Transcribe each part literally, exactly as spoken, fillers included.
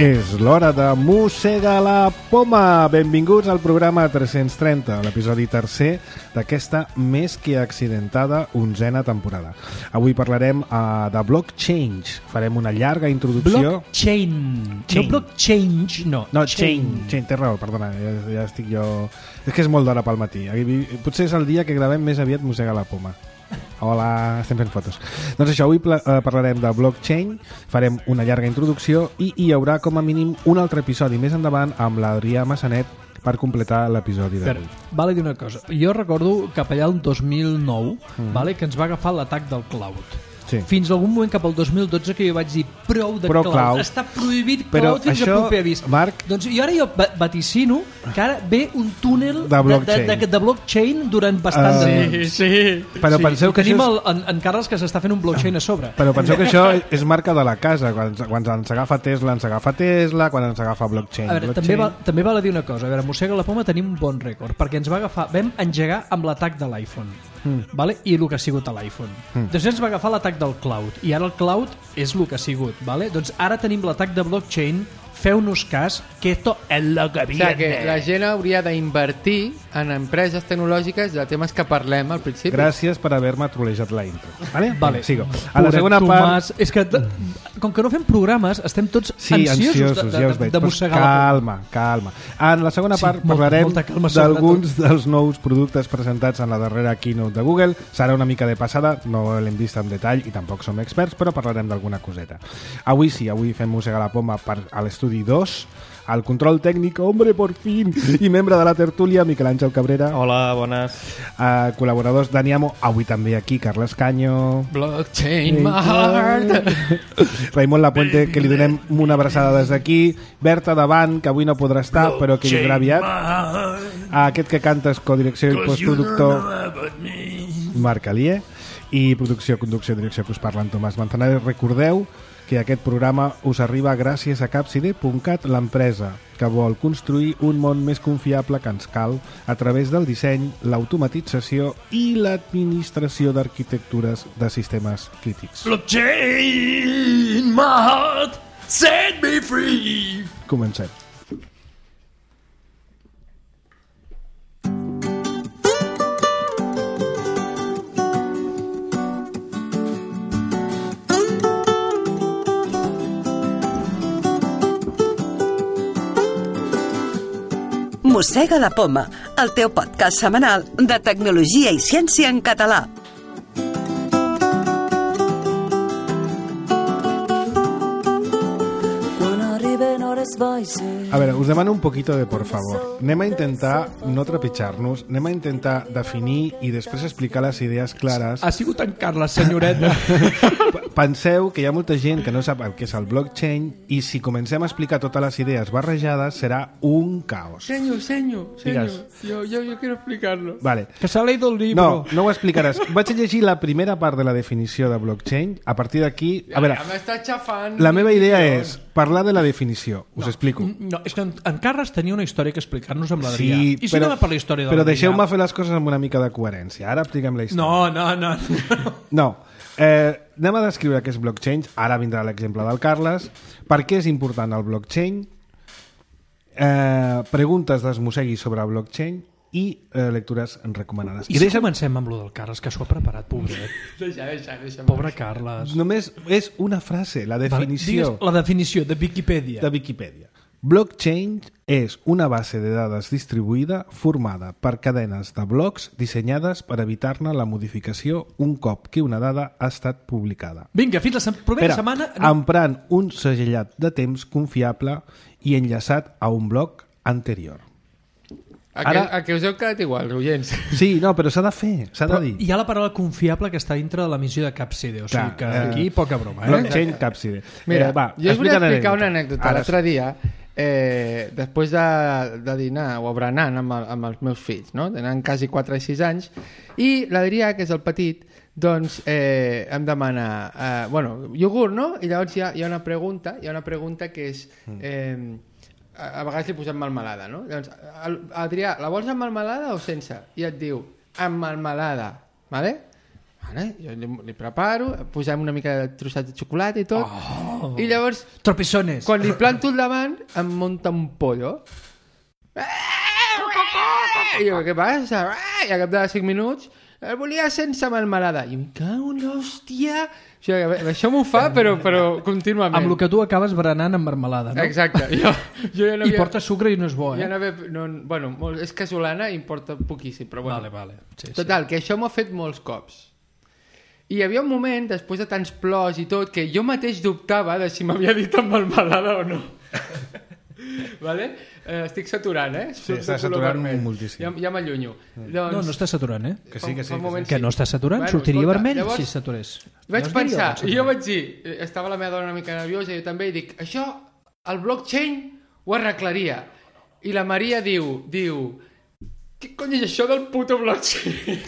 És l'hora de Mossega la Poma. Benvinguts al programa tres-cents trenta, l'episodi tercer d'aquesta més que accidentada onzena temporada. Avui parlarem uh, de blockchain. Farem una llarga introducció. Blockchain. No blockchain, no. No, chain. Chain, té raó, perdona, ja, ja estic jo... És que és molt d'hora pel matí. Potser és el dia que gravem més aviat Mossega la Poma. Hola, estem fent fotos. Doncs això, avui parlarem de blockchain, farem una llarga introducció i hi haurà com a mínim un altre episodi més endavant amb l'Adrià Massanet per completar l'episodi d'avui. Vale dir una cosa, jo recordo cap allà el dos mil nou mm. vale, que ens va agafar l'atac del cloud. Sí. Fins a algun moment cap al dos mil dotze que jo vaig dir prou de Però cloud. cloud. Està prohibit cloud Però fins això, a proper avís. Marc... Doncs jo ara jo vaticino que ara ve un túnel de blockchain, de, de, de blockchain durant bastant uh, de temps. Sí, sí. Però sí. penseu que tenim això és... el, en, en Carles que s'està fent un blockchain a sobre. Però penseu que això és marca de la casa. Quan, quan ens agafa Tesla, ens agafa Tesla. Quan ens agafa blockchain, a veure, blockchain. També, val, també val a dir una cosa. A veure, Mossega la Poma tenim un bon rècord, perquè ens va agafar, vam engegar amb l'atac de l'iPhone. Mm. Vale? I el que ha sigut a l'iPhone. Mm. Després ens va agafar l'atac del cloud i ara el cloud és el que ha sigut. Vale? Doncs ara tenim l'atac de blockchain. Feu-nos cas, que esto es lo que viene. O sigui, que la gent hauria d'invertir en empreses tecnològiques de temes que parlem al principi. Gràcies per haver-me trolejat la intro. Vale? Vale. Sigo. A la segona part... És que, com que no fem programes, estem tots sí, ansiosos, ansiosos de, ja de, de mossegar la calma, calma. En la segona sí, part molta, parlarem molta calma, d'alguns dels nous productes presentats en la darrera keynote de Google. Serà una mica de passada, no l'hem vist en detall i tampoc som experts, però parlarem d'alguna coseta. Avui sí, avui fem Mossega la Poma per, a l'estudi dos. Al control tècnic, hombre, por fin, i membre de la tertúlia, Miquel Àngel Cabrera. Hola, bones. Uh, col·laboradors, Dani Amo, avui també aquí, Carles Caño. Blockchain, my heart. Raimon Lapuente, que li donem una abraçada des d'aquí. Berta Davant, que avui no podrà estar, però que vindrà aviat. Aquest que canta és codirecció i postproductor, Marc Alier. I producció, conducció i direcció que us parla en Tomàs Manzanares. Recordeu que aquest programa us arriba gràcies a capside punt cat, l'empresa que vol construir un món més confiable que ens cal a través del disseny, l'automatització i l'administració d'arquitectures de sistemes crítics. Blockchain, my heart, set me free. Comencem. Mossega la Poma, el teu podcast setmanal de tecnologia i ciència en català. A veure, us demano un poquito de por favor. Anem a intentar no trepitjar-nos, anem a intentar definir i després explicar les idees clares. Ha sigut en Carles, senyoreta. Penseu que hi ha molta gent que no sap el que és el blockchain i si comencem a explicar totes les idees barrejades serà un caos. Senyo, senyo, senyo. Digues. Yo, yo, yo quiero explicarlo. Vale. Que s'ha leído el libro. No, no ho explicaràs. Vaig a llegir la primera part de la definició de blockchain. A partir d'aquí... A veure, ja m'està xafant. la meva idea és parlar de la definició. Us no, explico. No, és que en, en Carles tenia una història que explicar-nos amb l'Adrià. Sí, I si però, anem per la història de però l'Adrià? deixeu-me fer les coses amb una mica de coherència. Ara expliquem la història. No, no, no. No. No. Eh, anem a descriure què és blockchain. Ara vindrà l'exemple del Carles. Per què és important el blockchain? Eh, preguntes d'esmossegui sobre blockchain i eh, lectures recomanades. I, I si deixa... comencem amb lo del Carles, que s'ho ha preparat, pobret. Deixa, deixa, deixa. Pobre Carles. Només és una frase, la definició. Vale, la definició de Viquipèdia. De Viquipèdia. Blockchain és una base de dades distribuïda formada per cadenes de blocs dissenyades per evitar-ne la modificació un cop que una dada ha estat publicada. Vinga, fins la se- propera Espera, setmana... emprant un segellat de temps confiable i enllaçat a un bloc anterior. A que, Ara... a que us heu quedat igual, oients. Sí, no, però s'ha de fer, s'ha de Però dir. hi ha la paraula confiable que està dintre de l'emissió de Capside, o sigui Clar, que eh, aquí poca broma, eh? Blockchain Capside. Mira, eh, va, jo us volia explica explicar l'anècdota. una anècdota. Ara L'altre dia, eh, després de, de dinar o berenant amb, el, amb els meus fills, no? Tenen quasi quatre i sis anys, i l'Adrià, que és el petit, doncs eh, em demana eh, bueno, iogurt, no? I llavors hi ha, hi ha una pregunta, hi ha una pregunta que és... Eh, a vegades li posem melmelada, no? Llavors, Adrià, la vols amb melmelada o sense? I et diu, amb melmelada, vale? Vale? Jo li, li preparo, posem una mica de trossats de xocolata i tot, oh. I llavors, tropezones. Quan li planto al davant, em munta un pollo. I jo, què passa? I a cap de cinc minuts, el volia sense melmelada. I em cago en l'hòstia... O sigui, això m'ho fa, però, però contínuament. Amb el que tu acabes berenant amb marmelada, no? Exacte. Jo, jo ja no havia... I porta sucre i no és bo, eh? Ja no havia... no, bueno, és casolana i importa poquíssim, però bueno. Vale, vale. Sí, Total, sí. que això m'ho ha fet molts cops. I hi havia un moment, després de tants plors i tot, que jo mateix dubtava de si m'havia dit amb melmelada o no. Vale? Eh, estic saturant, eh? Sí, està saturant moltíssim. Ja, ja m'allunyo. Doncs... No, no està saturant, eh? Que sí, que sí. Que, que, sí. que no està saturant, bueno, sortiria escolta, vermell llavors, si saturés. Vaig no pensar, i jo vaig dir, estava la meva dona una mica nerviosa, i jo també, i dic, això, el blockchain ho arreglaria. I la Maria diu, diu, què cony és això del puto blockchain?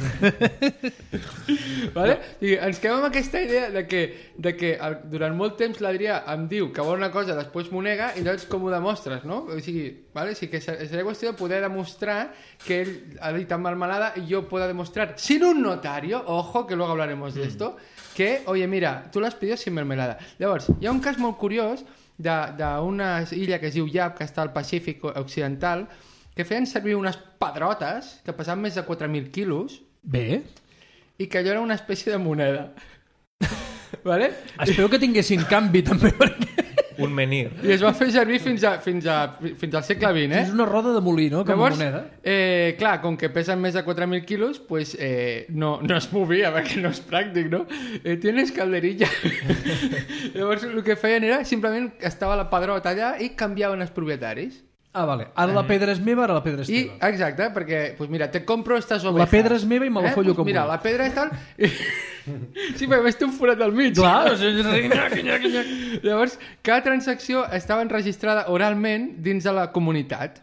Vale? I ens quedem amb aquesta idea de que, de que el, durant molt temps l'Adrià em diu que vol una cosa, després m'ho nega, i llavors com ho demostres, no? O sigui, vale? O sigui que seria qüestió de poder demostrar que ell ha dit amb melmelada i jo puedo demostrar, sin un notario, ojo, que luego hablaremos de esto, que, oye, mira, tú las pidió sin mermelada. Llavors, hi ha un cas molt curiós d'una illa que es diu Yap, que està al Pacífic Occidental, que feien servir unes pedrotes que pesaven més de quatre mil quilos. Bé. I que allò era una espècie de moneda. Vale? Espero que tinguessin canvi també, perquè... Un menir. I es va fer servir fins, a, fins, a, fins al segle vint, eh? És una roda de molí, no? Com Llavors, a moneda. Eh, clar, com que pesen més de quatre mil quilos, pues, eh, no, no es movia, perquè no és pràctic, no? Eh, tienes calderilla. Llavors, el que feien era, simplement, estava la pedrota allà i canviaven els propietaris. Ah, vale. Ara la pedra és meva, ara la pedra és I, teva. exacte, perquè, pues mira, te compro estas ovejas. La pedra és meva i me la eh? follo pues com mira, vull. la pedra és tal... Sí, perquè més té un forat al mig. Clar, o sigui, nyac, nyac, nyac. Llavors, cada transacció estava enregistrada oralment dins de la comunitat.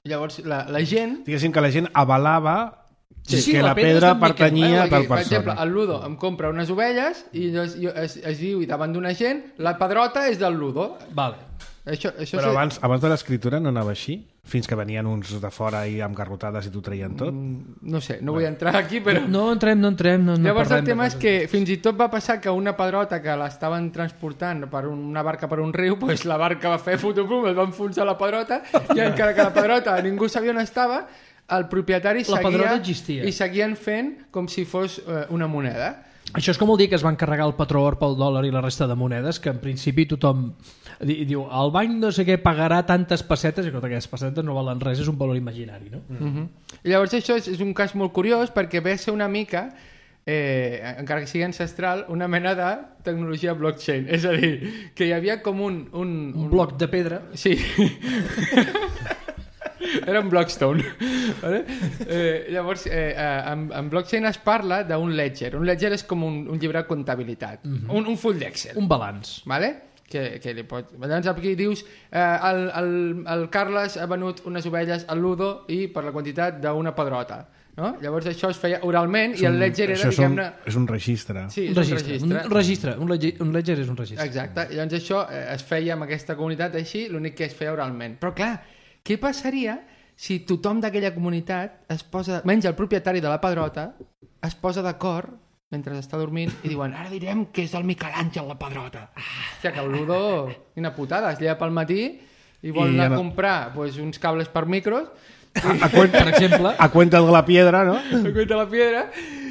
Llavors, la, la gent... Diguéssim que la gent avalava Sí, sí, que la la pedra pedra és d'en Miquel, pertanyia eh? a tal Aquí, per exemple, persona. el Ludo em compra unes ovelles i es, es, es diu davant d'una gent la pedrota és del Ludo. Vale. Això, això Però se... abans, abans de l'escriptura no anava així? Fins que venien uns de fora i amb garrotades i t'ho treien tot? Mm, no sé, no vull entrar aquí, però... No entrem, no entrem. No, no Llavors el parlem tema de és que fins i tot va passar que una pedrota que l'estaven transportant per una barca per un riu, pues la barca va fer fotopum, es va enfonsar la pedrota i encara que la pedrota ningú sabia on estava, el propietari La pedrota seguia existia. i seguien fent com si fos eh, una moneda. Això és com el dia que es van carregar el patró or pel dòlar i la resta de monedes, que en principi tothom di, diu, el banc no sé què pagarà tantes pessetes, i que aquestes pessetes no valen res, és un valor imaginari, no? Mm. Mm-hmm. I llavors això és, és un cas molt curiós perquè ve a ser una mica, eh, encara que sigui ancestral, una mena de tecnologia blockchain. És a dir, que hi havia com un... Un, Un bloc de pedra. Sí. Era un Blockstone. Vale? Eh, llavors, eh, en, en blockchain es parla d'un ledger. Un ledger és com un, un llibre de comptabilitat. Mm-hmm. un, un full d'Excel. Un balanç. Vale? Que, que li pot... Llavors aquí dius eh, el, el, el Carles ha venut unes ovelles al Ludo i per la quantitat d'una pedrota. No? Llavors això es feia oralment i el ledger era, diguem-ne... És un registre. Sí, Un registre. Un registre. Un ledger, un ledger és un registre. Exacte. I llavors això eh, es feia amb aquesta comunitat així, l'únic que es feia oralment. Però clar, què passaria si tothom d'aquella comunitat es posa, menys el propietari de la pedrota, es posa d'acord mentre està dormint i diuen, ara direm que és el Miquel Àngel la pedrota. Ah, o sigui que el Ludo, quina putada, es lleva pel matí i vol I anar ja no... a comprar pues, uns cables per micros A, a, cuenta, Per exemple. a cuenta de la piedra, no? a cuenta la piedra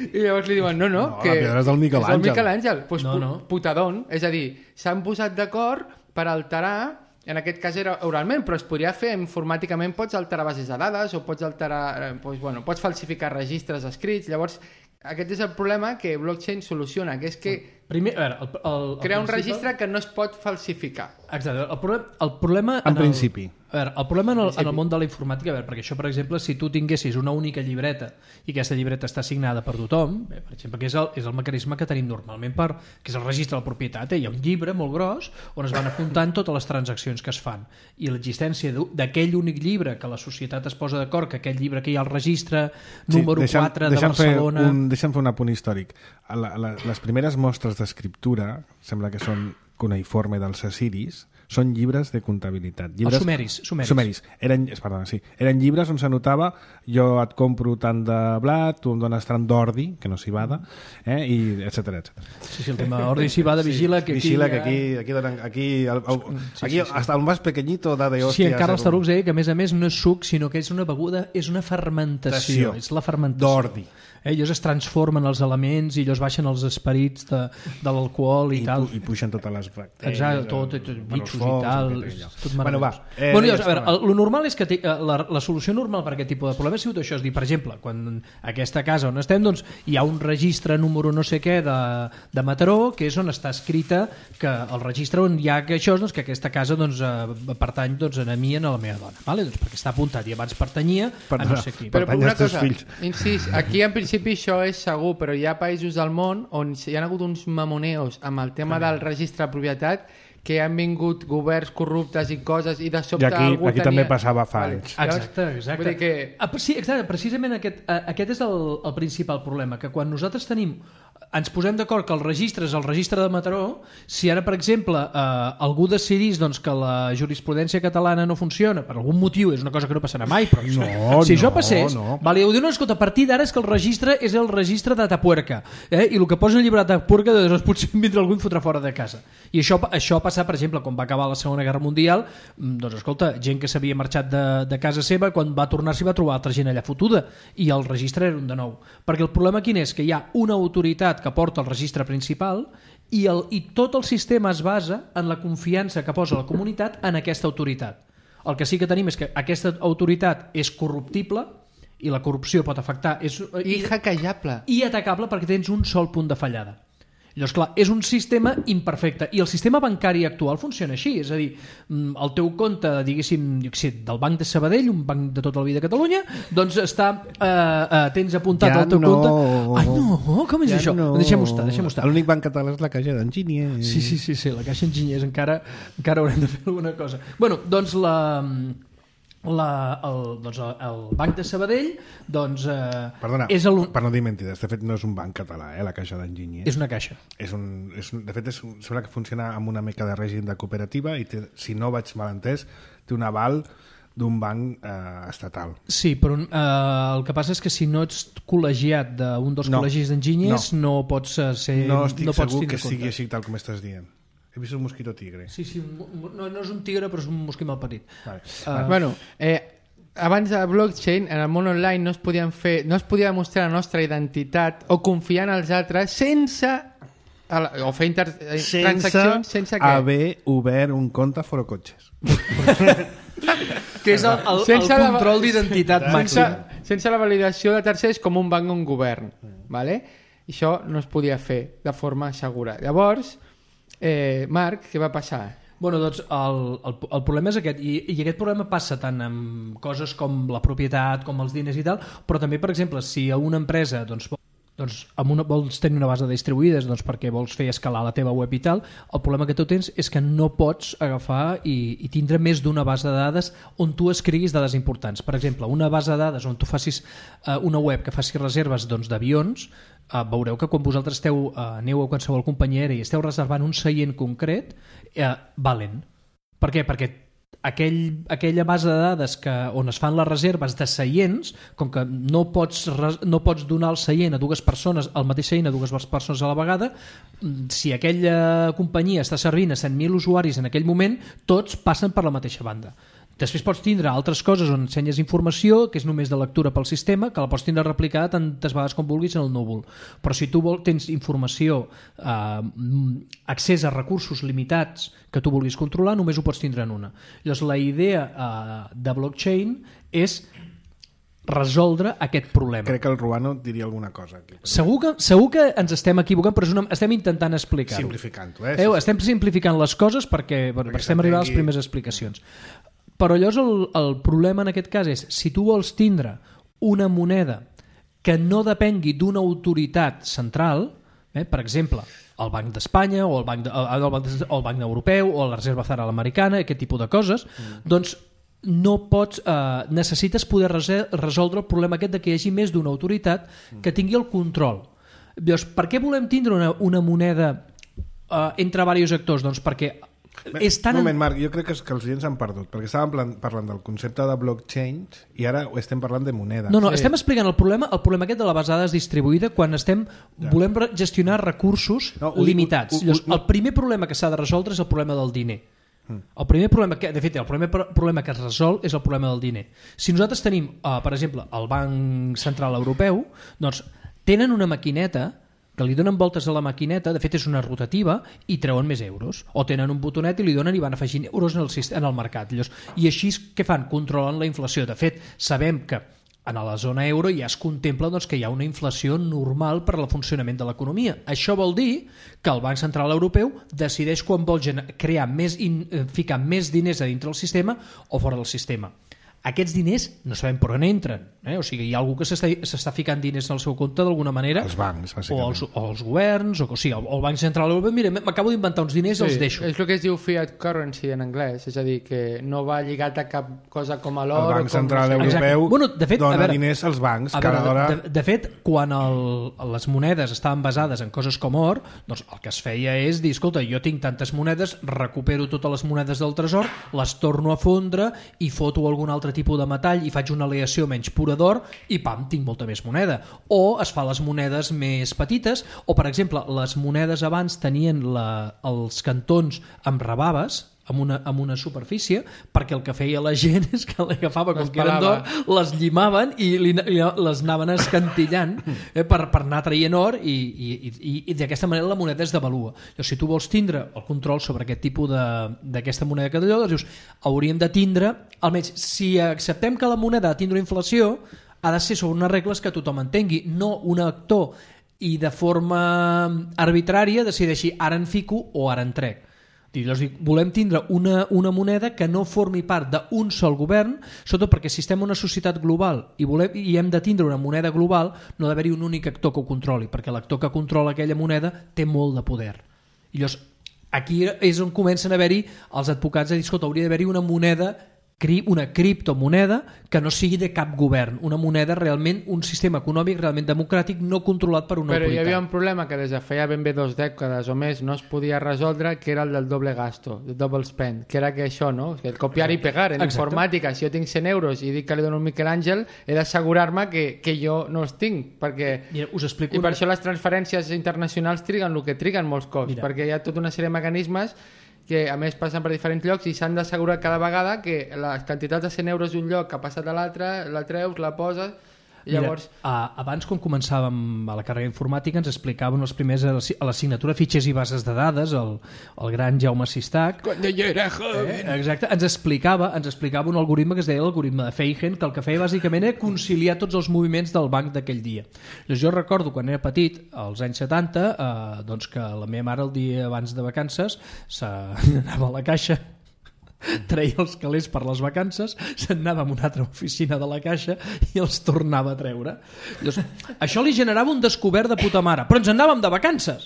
i llavors li diuen, no, no, No, que la piedra és del Miquel és el Àngel. Miquel Àngel. Pues, No, pu- no. putadón, és a dir, s'han posat d'acord per alterar, en aquest cas era oralment, però es podria fer informàticament, pots alterar bases de dades o pots alterar, eh, pues, bueno, pots falsificar registres escrits, llavors aquest és el problema que blockchain soluciona, que és que Primer, a veure, el, el, el crea un principi- registre que no es pot falsificar. Exacte. El, problema, el problema... En el, principi. A veure, el problema en el, en el món de la informàtica, a veure, perquè això, per exemple, si tu tinguessis una única llibreta i aquesta llibreta està signada per tothom, bé, per exemple, que és el, és el mecanisme que tenim normalment, per, que és el registre de la propietat, eh? Hi ha un llibre molt gros on es van apuntant totes les transaccions que es fan. I l'existència d'u- d'aquell únic llibre que la societat es posa d'acord, que aquell llibre que hi ha al registre, número deixa'm- quatre de deixa'm fer Barcelona... Un, deixa'm fer un apunt històric. La, la, les primeres mostres d'escriptura, sembla que són cuneiforme dels assiris, són llibres de comptabilitat. Llibres... Els sumeris. Sumeris. sumeris. Eren, perdona, sí. Eren llibres on s'anotava jo et compro tant de blat, tu em dones tant d'ordi, que no s'hi bada, eh? i etcètera, etcètera. Sí, sí, el tema ordi s'hi bada, vigila, que aquí... Vigila, que aquí, aquí, donen, aquí, el, el, sí, aquí sí, sí. hasta el más pequeñito da de hòstia. Sí, en Carles Tarucs deia que a més a més no és suc, sinó que és una beguda, és una fermentació. És la fermentació. D'ordi. Eh, ells es transformen els elements i ells baixen els esperits de, de l'alcohol i, I tal. Pu, i puixen totes les bactèries. Exacte, tot, tot bitxos i tal. Tot bueno, va. Eh, bueno, llavors, a veure, el, el normal és que te, la, la solució normal per aquest tipus de problema ha sigut això, és dir, per exemple, quan aquesta casa on estem, doncs, hi ha un registre número no sé què de, de Mataró, que és on està escrita que el registre on hi ha que això, doncs, que aquesta casa doncs, eh, pertany doncs, a mi i a la meva dona, vale? Doncs perquè està apuntat i abans pertanyia per, a no sé qui. Però pertany una als teus cosa, fills. incís, aquí en principi això és segur, però hi ha països del món on hi ha hagut uns mamoneos amb el tema del registre de propietat que han vingut governs corruptes i coses i de sobte I aquí, algú aquí tenia... també passava fa Vale. anys. Exacte, exacte. Vull dir que... Ah, sí, exacte, precisament aquest, eh, aquest és el, el principal problema, que quan nosaltres tenim ens posem d'acord que el registre és el registre de Mataró, si ara, per exemple, eh, algú decidís doncs, que la jurisprudència catalana no funciona, per algun motiu, és una cosa que no passarà mai, però No, si no, això passés, no. vale, ho diu, no, escolta, a partir d'ara és que el registre és el registre de Tapuerca, eh? I el que posa en el llibre de Tapuerca doncs, potser vindrà algú i fotrà fora de casa. I això, això passa, per exemple, quan va acabar la Segona Guerra Mundial, doncs, escolta, gent que s'havia marxat de, de casa seva, quan va tornar s'hi va trobar altra gent allà fotuda, i el registre era un de nou. Perquè el problema quin és? Que hi ha una autoritat que porta el registre principal i, el, i tot el sistema es basa en la confiança que posa la comunitat en aquesta autoritat. El que sí que tenim és que aquesta autoritat és corruptible i la corrupció pot afectar... És, I hackejable. I atacable perquè tens un sol punt de fallada. Llavors, clar, és un sistema imperfecte i el sistema bancari actual funciona així, és a dir, el teu compte, diguéssim, jo què sé, del Banc de Sabadell, un banc de tota la vida a Catalunya, doncs està, eh, eh, tens apuntat Ja el teu no. compte... Ai, no, com és Ja això? no. Deixem-ho estar, deixem-ho estar. L'únic banc català és la Caixa d'Enginyers. Sí, sí, sí, sí, la Caixa Enginyers encara, encara haurem de fer alguna cosa. Bueno, doncs la... La, el, doncs el, el Banc de Sabadell doncs, eh, Perdona, és el, per no dir mentides, de fet no és un banc català, eh, la Caixa d'Enginyers. és una caixa. És un, és un, de fet, és, un- sembla que funciona amb una mica de règim de cooperativa i té, si no vaig mal entès, té un aval d'un banc eh, estatal. Sí, però eh, el que passa és que si no ets col·legiat d'un dels No, col·legis d'enginyers no. no pots eh, ser... No estic no pots segur tindre que sigui compte. així tal com estàs dient. He vist un mosquito tigre. Sí, sí, un, un- no, no és un tigre, però és un mosquit mal petit. Vale. Uh, Bueno, eh, abans de blockchain, en el món online no es podien fer, no es podia demostrar la nostra identitat o confiar en els altres sense a la- o fer inter, eh, transaccions sense què? haver obert un compte a Forocotxes. que és el, el, el Sense la- control d'identitat sense, màxim. sense la validació de tercers com un banc o un govern, vale? I això no es podia fer de forma segura. Llavors, eh, Marc, què va passar? Bueno, doncs el, el, el problema és aquest, i, i aquest problema passa tant amb coses com la propietat, com els diners i tal, però també, per exemple, si a una empresa doncs, vol- doncs, amb una, vols tenir una base de distribuïdes doncs, perquè vols fer escalar la teva web i tal, el problema que tu tens és que no pots agafar i, i tindre més d'una base de dades on tu escriguis dades importants. Per exemple, una base de dades on tu facis eh, una web que faci reserves doncs, d'avions, eh, veureu que quan vosaltres esteu, eh, aneu a qualsevol companyia aèria i esteu reservant un seient concret, eh, valen. Per què? Perquè aquell, aquella base de dades que, on es fan les reserves de seients, com que no pots, res- no pots donar el seient a dues persones, el mateix seient a dues persones a la vegada, mm, si aquella companyia està servint a cent mil usuaris en aquell moment, tots passen per la mateixa banda. Després pots tindre altres coses on ensenyes informació, que és només de lectura pel sistema, que la pots tindre replicada tantes vegades com vulguis en el núvol. Però si tu vol, tens informació, eh, accés a recursos limitats que tu vulguis controlar, només ho pots tindre en una. Llavors, la idea eh, de blockchain és resoldre aquest problema. Crec que el Ruano diria alguna cosa aquí. Segur que, segur que ens estem equivocant, però és una, estem intentant explicar-ho. Simplificant-ho, eh? Eh, estem simplificant les coses perquè, bueno, Perquè perquè estem arribant a les s'entengui. primeres explicacions. Però llavors el, el problema en aquest cas és si tu vols tindre una moneda que no depengui d'una autoritat central, eh, per exemple, el Banc d'Espanya o el Banc, de, el, Banc de, o el Banc Europeu o la Reserva Federal Americana, aquest tipus de coses, mm. doncs no pots, eh, necessites poder resol- resoldre el problema aquest de que hi hagi més d'una autoritat que tingui el control. Llavors, per què volem tindre una, una moneda eh, entre diversos actors? Doncs perquè és tan... Un moment, Marc, jo crec que, que els oients s'han perdut, perquè estàvem parlant del concepte de blockchain i ara estem parlant de moneda. No, no, sí. estem explicant el problema, el problema aquest de la base de dades distribuïda quan estem ja. volem gestionar recursos no, ui, limitats. Ui, ui, ui, el primer problema que s'ha de resoldre és el problema del diner. El primer problema que, de fet, el primer problema que es resol és el problema del diner. Si nosaltres tenim, uh, per exemple, el Banc Central Europeu, doncs tenen una maquineta que li donen voltes a la maquineta, de fet és una rotativa, i treuen més euros. O tenen un botonet i li donen i van afegint euros en el, en el mercat. I així què fan? Controlen la inflació. De fet, sabem que en la zona euro ja es contempla doncs, que hi ha una inflació normal per al funcionament de l'economia. Això vol dir que el Banc Central Europeu decideix quan vol crear més in, ficar més diners a dintre del sistema o fora del sistema. Aquests diners no sabem per on entren. Eh? O sigui, hi ha algú que s'està ficant diners en el seu compte d'alguna manera. Els bancs, bàsicament. O els, o els governs, o, o sigui, el, el Banc Central Europeu, mira, m'acabo d'inventar uns diners i sí, els deixo. És el que es diu fiat currency en anglès, és a dir, que no va lligat a cap cosa com a l'or. El Banc Central com... Europeu bueno, de fet, dona veure, diners als bancs. A veure, hora... de, de fet, quan el, les monedes estaven basades en coses com or, doncs el que es feia és dir, escolta, jo tinc tantes monedes, recupero totes les monedes del tresor, les torno a fondre i foto algun altre tipus de metall i faig una aleació menys pura d'or i pam, tinc molta més moneda. O es fa les monedes més petites, o per exemple, les monedes abans tenien la, els cantons amb rebaves, amb una, amb una superfície, perquè el que feia la gent és que l'agafava com que eren d'or, les llimaven i li, li, les anaven escantillant eh, per, per anar traient or i, i, i, i d'aquesta manera la moneda es devalua. Llavors, si tu vols tindre el control sobre aquest tipus d'aquesta moneda que d'allò, doncs dius, hauríem de tindre, almenys si acceptem que la moneda ha de tindre inflació, ha de ser sobre unes regles que tothom entengui, no un actor i de forma arbitrària decideixi ara en fico o ara en trec. Llavors, volem tindre una, una moneda que no formi part d'un sol govern, sobretot perquè si estem en una societat global i, volem, i hem de tindre una moneda global, no ha d'haver-hi un únic actor que ho controli, perquè l'actor que controla aquella moneda té molt de poder. I llavors, aquí és on comencen a haver-hi els advocats a dir, escolta, hauria d'haver-hi una moneda, una criptomoneda que no sigui de cap govern, una moneda realment, un sistema econòmic realment democràtic no controlat per una Però autoritat. Però hi havia un problema que des de feia ben bé dos dècades o més no es podia resoldre, que era el del doble gasto, el double spend, que era que això, no? Que el copiar i pegar en Exacte. Informàtica, si jo tinc cent euros i dic que li dono un Miquel Àngel, he d'assegurar-me que, que jo no els tinc, perquè... Mira, us explico I per una... això les transferències internacionals triguen el que triguen molts cops, Mira. Perquè hi ha tota una sèrie de mecanismes que a més passen per diferents llocs i s'han d'assegurar cada vegada que les quantitats de cent euros d'un lloc que ha passat a l'altre, la treus, la poses i llavors... Mira, abans quan començàvem a la carrera informàtica ens explicaven els primers a l'assignatura fitxers i bases de dades, el, el gran Jaume Sistac. Quan jo era joven. Eh, exacte, ens explicava, ens explicava un algoritme que es deia l'algoritme de Feigen, que el que feia bàsicament era conciliar tots els moviments del banc d'aquell dia. Llavors, jo recordo quan era petit, als anys setanta, eh, doncs que la meva mare el dia abans de vacances s'anava a la caixa, treia els calés per les vacances, s'anava a una altra oficina de la caixa i els tornava a treure. Llavors, això li generava un descobert de puta mare, però ens anàvem de vacances,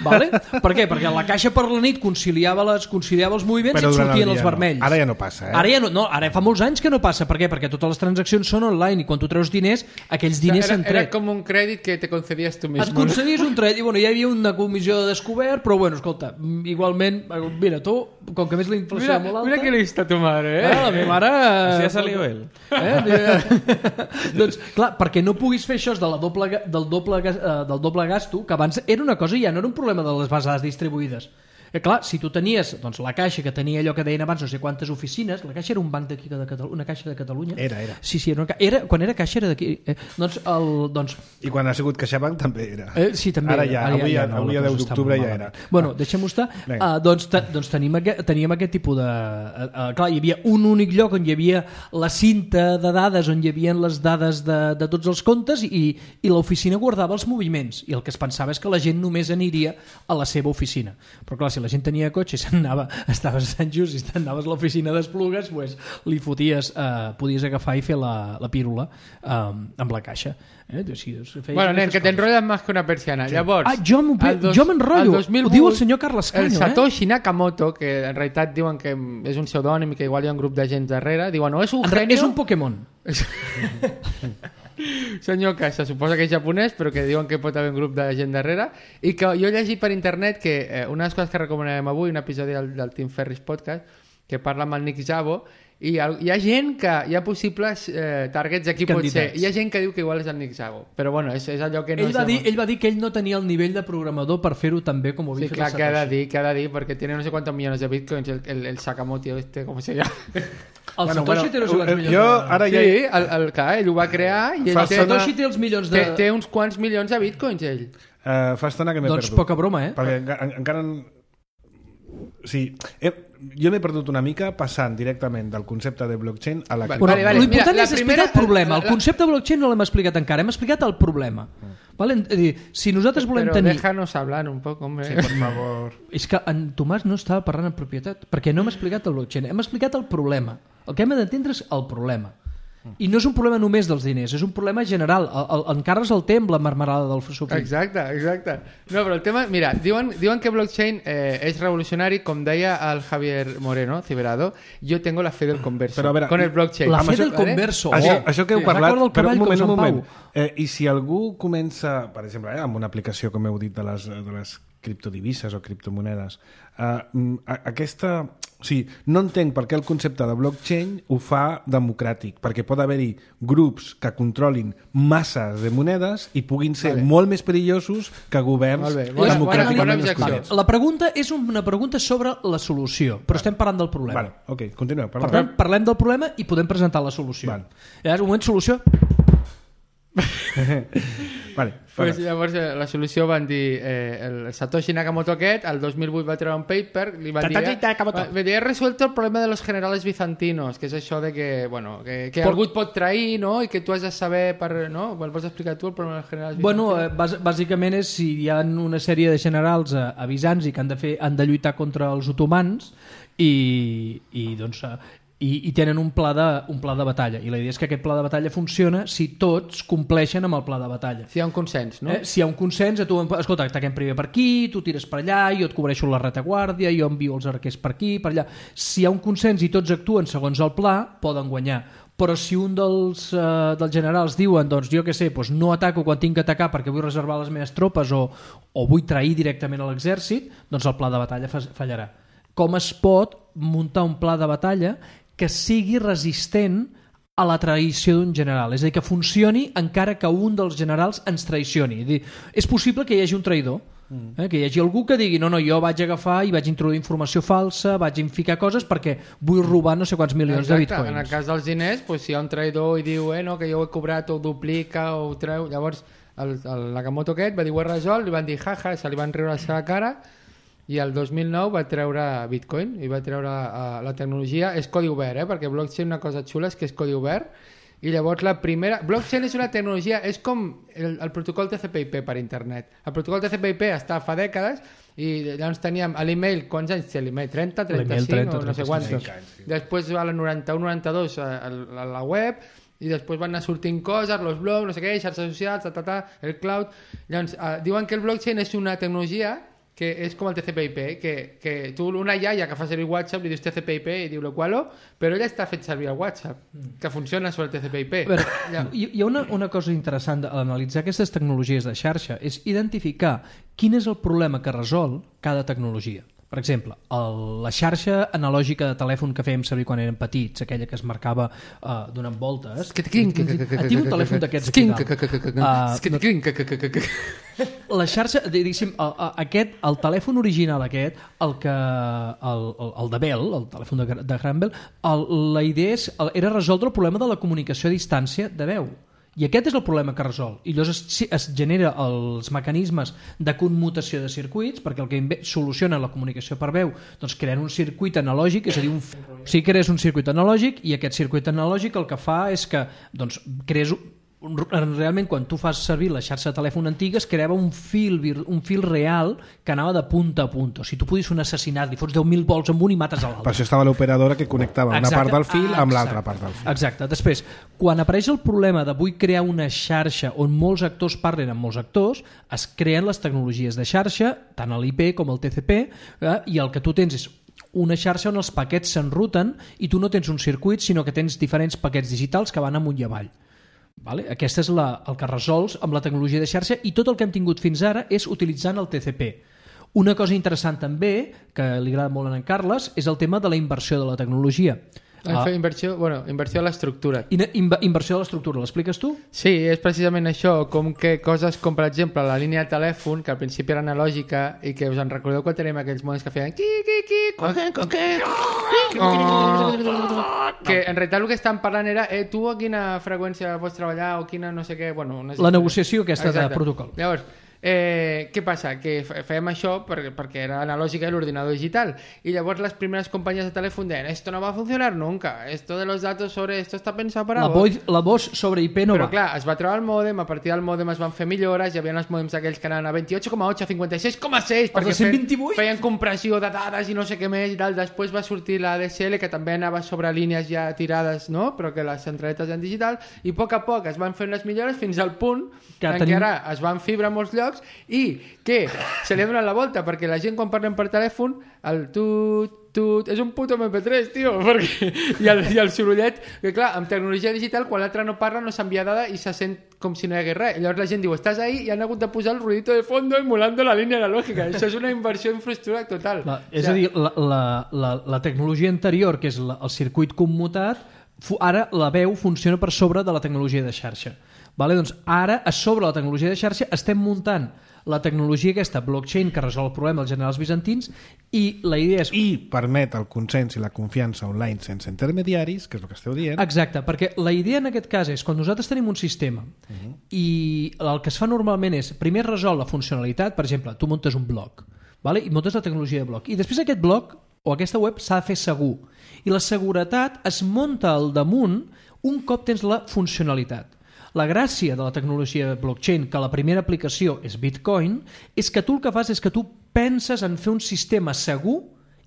vale? Per què? Perquè la caixa per la nit conciliava, les, conciliava els moviments però i et sortien els vermells. No. Ara ja no passa, eh? Ara ja no, no, ara fa molts anys que no passa. Per què? Perquè totes les transaccions són online i quan tu treus diners, aquells diners s'han tret. Era com un crèdit que te concedies tu mismo. Et concedies un crèdit i bueno, hi havia una comissió de descobert, però bueno, escolta, igualment, mira, tu, com que més la inflació mira, molt alta... Mira que lista tu mare, eh? Ah, la meva mare... Així ha salido ell. Eh? Doncs, clar, perquè no puguis fer això de la doble, del, doble, del doble gasto, que abans era una cosa i ja no era un problema de les bases distribuïdes. Eh, clar, si tu tenies doncs, la caixa que tenia allò que deien abans no sé quantes oficines, la caixa era un banc d'aquí de Catalunya, una caixa de Catalunya. Era, era. Sí, sí, era, una, era quan era caixa era d'aquí. Eh, doncs, el, doncs... I quan ha sigut CaixaBank també era. Eh, sí, també. Ara ja, ara avui, ja, ja, no, avui a deu d'octubre ja era. Bueno, deixem-ho estar. Uh, doncs te, doncs tenim, aquest, teníem aquest tipus de... Uh, uh, clar, hi havia un únic lloc on hi havia la cinta de dades, on hi havia les dades de, de tots els comptes i, i l'oficina guardava els moviments i el que es pensava és que la gent només aniria a la seva oficina. Però clar, si la gent tenia cotxe anava, estaves a Sant Just i anaves a l'oficina d'Esplugues, pues, li foties, eh, podies agafar i fer la, la pírula eh, amb la caixa. Eh? Sí, bueno, nen, que t'enrotlles més que una persiana. Sí. Llavors, ah, jo m'enrotllo, ho diu el senyor Carles Caño. El Satoshi eh? Nakamoto, que en realitat diuen que és un pseudònim i que igual hi ha un grup de gent darrere, diuen, no, és un genio... És un Pokémon. senyor que se suposa que és japonès però que diuen que pot haver un grup de gent darrere i que jo he llegit per internet que eh, una de les coses que recomanarem avui, un episodi del, del Tim Ferriss Podcast que parla amb el Nick Szabo i hi ha gent que hi ha possibles eh, targets aquí pot ser, hi ha gent que diu que igual és el Nick Szabo, però bueno, és, és allò que no ell, va dir, ell va dir que ell no tenia el nivell de programador per fer-ho tan bé com ho havia sí, fet clar, el que ha de Satoshi. dir, que ha de dir perquè tiene no sé quantos millones de bitcoins el, el, el Sakamoto este, com se llama El Bueno, Satoshi bueno, té no sé quants eh, milions jo de... ara sí, ja... el, el, clar, ell ho va crear i ell Fa té, estona- Satoshi té els milions de... té, té uns quants milions de bitcoins ell Uh, fa estona que m'he Doncs perdut. poca broma, eh? Perquè enca encara... Sí, he, jo m'he perdut una mica passant directament del concepte de blockchain a la... Vale, Però vale, vale. l'important Mira, és la explicar primera- el problema. El la- la- concepte de blockchain no l'hem explicat encara, hem explicat el problema. Vale? És a dir, si nosaltres volem però tenir... déjanos hablar un poc, hombre. Sí, per favor. És que en Tomàs no estava parlant en propietat, perquè no hem explicat el blockchain, hem explicat el problema. El que hem d'entendre és el problema. I no és un problema només dels diners, és un problema general. El, el, encara es el té amb la marmelada del sucre. Exacte, exacte. No, però el tema... Mira, diuen, diuen que blockchain eh, és revolucionari, com deia el Javier Moreno, Ciberado, jo tengo la fe del converso. Però a veure, con el blockchain. La Amb fe això- del converso. Això, Oh. això que heu Recorda parlat, el però un cavall com moment, un Sant moment. Pau. Eh, I si algú comença, per exemple, eh, amb una aplicació, com heu dit, de les, de les criptodivises o criptomonedes, eh, a- aquesta... O sigui, no entenc per què el concepte de blockchain ho fa democràtic, perquè pot haver-hi grups que controlin masses de monedes i puguin ser Vale. molt més perillosos que governs Molt bé, bona- democràticament bona objecció. escollits. La pregunta és una pregunta sobre la solució, però estem parlant del problema. Vale, ok, continueu. Per Perdó. tant, parlem del problema i podem presentar la solució. Val. Llavors, un moment, solució. Vale, Pues, vale. llavors eh, la solució van dir eh, el Satoshi Nakamoto aquest el dos mil vuit va treure un paper li va dir, Satoshi Nakamoto. va, va dir he resuelto el problema de los generales bizantinos que és això de que, bueno, que, que Por- algú et pot trair no? I que tu has de saber per, no? Me'l pots explicar tu el problema dels generals Bueno, bizantinos? eh, bàs bàsicament és si hi ha una sèrie de generals eh, a Bizanci que han de, fer, han de lluitar contra els otomans i, i doncs... Eh, i, i tenen un pla, de, un pla de batalla i la idea és que aquest pla de batalla funciona si tots compleixen amb el pla de batalla. Si hi ha un consens, no? Eh, si hi ha un consens, a tu, escolta, ataquem primer per aquí, tu tires per allà, jo et cobreixo la retaguardia, jo envio els arquers per aquí, per allà. Si hi ha un consens i tots actuen segons el pla, poden guanyar. Però si un dels, eh, dels generals diuen, doncs jo què sé, doncs no ataco quan tinc que atacar perquè vull reservar les meves tropes o, o vull trair directament a l'exèrcit, doncs el pla de batalla fa- fallarà. Com es pot muntar un pla de batalla que sigui resistent a la traïció d'un general, és a dir, que funcioni encara que un dels generals ens traicioni. És, dir, és possible que hi hagi un traïdor, eh? Que hi hagi algú que digui no, no, jo vaig agafar i vaig introduir informació falsa, vaig ficar coses perquè vull robar no sé quants milions Exacte, de bitcoins. en el cas dels diners, pues, si hi ha un traïdor i diu eh, no, que jo ho he cobrat o ho duplica o ho treu, llavors el, el Nakamoto aquest va dir ho he resolt, li van dir jaja, se li van riure a la seva cara i el dos mil nou va treure Bitcoin i va treure uh, la tecnologia, és codi obert, eh? Perquè blockchain una cosa xula és que és codi obert i llavors la primera... Blockchain és una tecnologia, és com el, el protocol T C P I P per internet. El protocol T C P I P està fa dècades i llavors teníem a l'email, quants anys té l'email? trenta, trenta-cinc trenta, o no sé quants. trenta-cinc. Després va a la noranta-u noranta-dos a, a, a la web i després van anar sortint coses, los blogs, no sé què, xarxes socials, ta, ta, ta, el cloud. Llavors, uh, diuen que el blockchain és una tecnologia que és com el T C P I P, que, que tu una iaia que fa servir WhatsApp li dius T C P I P i diu lo qualo, però ella està fet servir el WhatsApp, que funciona sobre el T C P I P. A veure, hi, hi ha una, una cosa interessant a analitzar aquestes tecnologies de xarxa, és identificar quin és el problema que resol cada tecnologia. Per exemple, el, la xarxa analògica de telèfon que fèiem servir quan érem petits, aquella que es marcava uh, donant voltes. Tinc un telèfon d'aquests aquí dalt. Uh, la xarxa, diguéssim, el, aquest, el telèfon original aquest, el que el, el, el de Bell, el telèfon de, de Graham Bell, el, la idea és, era resoldre el problema de la comunicació a distància de veu. I aquest és el problema que resol. I llavors es, es genera els mecanismes de commutació de circuits, perquè el que soluciona la comunicació per veu, doncs creen un circuit analògic, és a dir, un, o sigui, crees un circuit analògic i aquest circuit analògic el que fa és que doncs, crees realment quan tu fas servir la xarxa de telèfon antiga es creava un fil, un fil real que anava de punta a punta. O sigui, tu podies fer un assassinat, li fots deu mil volts amb un i mates a l'altre. Per això estava l'operadora que connectava una Exacte. part del fil amb Exacte. l'altra part del fil. Exacte. Després, quan apareix el problema de vull crear una xarxa on molts actors parlen amb molts actors, es creen les tecnologies de xarxa, tant l'I P com el T C P, eh, i el que tu tens és una xarxa on els paquets s'enruten i tu no tens un circuit, sinó que tens diferents paquets digitals que van amunt i avall. Vale? Aquesta és la, el que resols amb la tecnologia de xarxa i tot el que hem tingut fins ara és utilitzant el T C P. Una cosa interessant també, que li agrada molt a en Carles, és el tema de la inversió de la tecnologia. Ah. Inversió, bueno, inversió a l'estructura. Inver, inversió de l'estructura, l'expliques tu? Sí, és precisament això, com que coses com, per exemple, la línia de telèfon, que al principi era analògica i que us en recordeu quan tenim aquells modems que feien qui, qui, qui, coque, coque, que en realitat el que estan parlant era eh, tu a quina freqüència pots treballar o quina no sé què... Bueno, no sé la negociació aquesta exacte. De protocol. Llavors, Eh, què passa? Que fèiem això per, perquè era analògica i l'ordinador digital i llavors les primeres companyies de telèfon deien esto no va a funcionar nunca, esto de los datos sobre esto está pensado para la vos voz, la voz sobre I P no però va. clar, es va treure el mòdem, a partir del mòdem es van fer millores, hi havia els mòdems aquells que anaven a vint-i-ocho coma ocho, a cinquanta-sis coma seis perquè cent vint-i-vuit? feien compressió de dades i no sé què més i tal. Després va sortir la D S L que també anava sobre línies ja tirades, no? Però que les centraletes en digital i a poc a poc es van fer unes millores fins al punt que en tenim... què ara es van fibra a molts llocs i que se li ha donat la volta perquè la gent quan parlem per telèfon el tut, tut, és un puto eme pe tres, tio, perquè... I, el, i el sorollet, que clar, amb tecnologia digital quan l'altre no parla no s'envia dada i se sent com si no hi hagués res. I llavors la gent diu, estàs ahí i han hagut de posar el ruidito de fondo emulando la línia analògica. Això és una inversió en infraestructura total. La, és o sigui, a dir, la, la, la, la tecnologia anterior, que és la, el circuit commutat, ara la veu funciona per sobre de la tecnologia de xarxa. Vale? Doncs ara, a sobre la tecnologia de xarxa, estem muntant la tecnologia aquesta, blockchain, que resol el problema dels generals bizantins i la idea és... I permet el consens i la confiança online sense intermediaris, que és el que esteu dient. Exacte, perquè la idea en aquest cas és quan nosaltres tenim un sistema uh-huh. i el que es fa normalment és primer resol la funcionalitat, per exemple, tu muntes un blog, vale? I muntes la tecnologia de blog i després aquest blog o aquesta web s'ha de fer segur i la seguretat es munta al damunt un cop tens la funcionalitat. La gràcia de la tecnologia de blockchain, que la primera aplicació és Bitcoin, és que tu el que fas és que tu penses en fer un sistema segur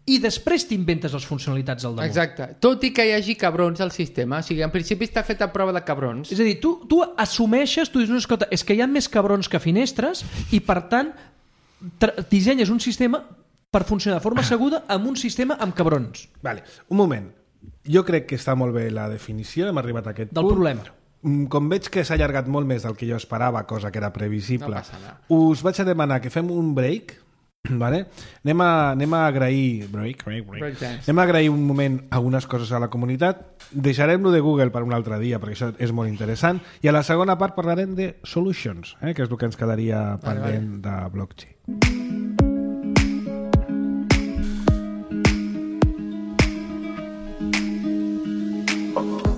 i després t'inventes les funcionalitats al damunt. Exacte. Tot i que hi hagi cabrons al sistema. O sigui, en principi està fet a prova de cabrons. És a dir, tu, tu assumeixes, tu dius, no, escolta, és que hi ha més cabrons que finestres i, per tant, dissenyes un sistema per funcionar de forma segura amb un sistema amb cabrons. Vale, un moment. Jo crec que està molt bé la definició, hem arribat a aquest del punt. Del problema. Com veig que s'ha allargat molt més del que jo esperava, cosa que era previsible, no passa nada. Us vaig a demanar que fem un break, vale? anem, a, anem a agrair break, break, break. break anem a agrair un moment algunes coses a la comunitat, deixarem-lo de Google per un altre dia perquè això és molt interessant i a la segona part parlarem de solutions, eh? que és el que ens quedaria pendent vale, vale. de blockchain.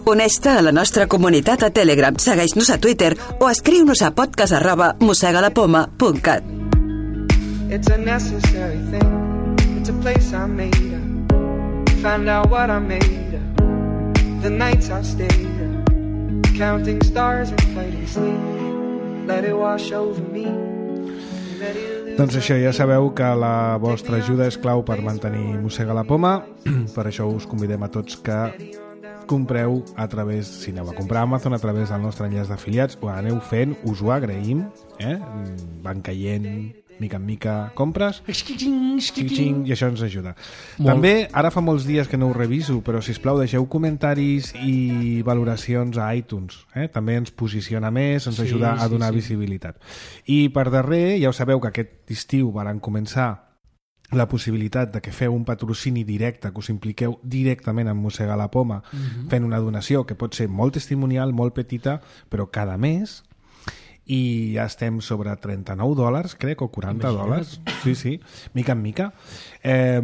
Uneix-te a la nostra comunitat a Telegram, segueix-nos a Twitter o escriu-nos a podcast arroba mosegalapoma punt cat. It's a necessary thing. It's a place I made up. Found out what I made up. The nights I stayed up. Counting stars and fighting sleep. Let it wash over me. Doncs això, ja sabeu que la vostra ajuda és clau per mantenir Mossega la Poma. Per això us convidem a tots que compreu a través, si aneu a comprar a Amazon a través del nostre enllaç d'afiliats, ho aneu fent, us ho agraïm, eh? Van caient mica en mica compres xing, i això ens ajuda. Molt. També, ara fa molts dies que no ho reviso, però sisplau deixeu comentaris i valoracions a iTunes, eh? També ens posiciona més, ens ajuda sí, a donar sí, sí. visibilitat. I per darrer, ja ho sabeu que aquest estiu varen començar la possibilitat de que feu un patrocini directe, que us impliqueu directament en Mossegar la Poma, uh-huh. fent una donació que pot ser molt testimonial, molt petita, però cada mes, i ja estem sobre trenta-nou dòlars, crec, o quaranta dòlars. Sí, sí, mica en mica. Eh,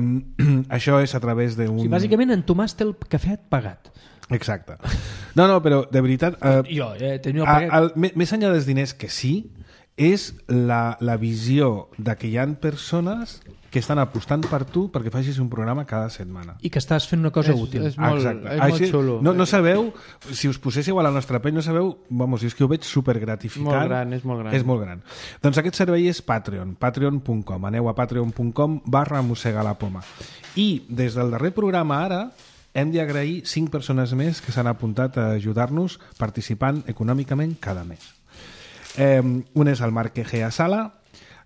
això és a través d'un... Sí, bàsicament en Tomàs té el cafè pagat. Exacte. No, no, però de veritat... Eh, jo, eh, tenia el pagat. El, més enllà dels diners que sí, és la, la visió de que hi ha persones que estan apostant per tu perquè facis un programa cada setmana. I que estàs fent una cosa és, útil. És molt, Exacte. és Així, molt xulo. No, no sabeu, si us poséssiu a la nostra pell, no sabeu, vamos, és que ho veig supergratificant. Molt gran, és molt gran. És molt gran. Doncs aquest servei és Patreon, patreon punt com. Aneu a patreon punt com barra Mossega la Poma. I des del darrer programa ara hem d'agrair cinc persones més que s'han apuntat a ajudar-nos participant econòmicament cada mes. Eh, un és el Marc Egea Sala,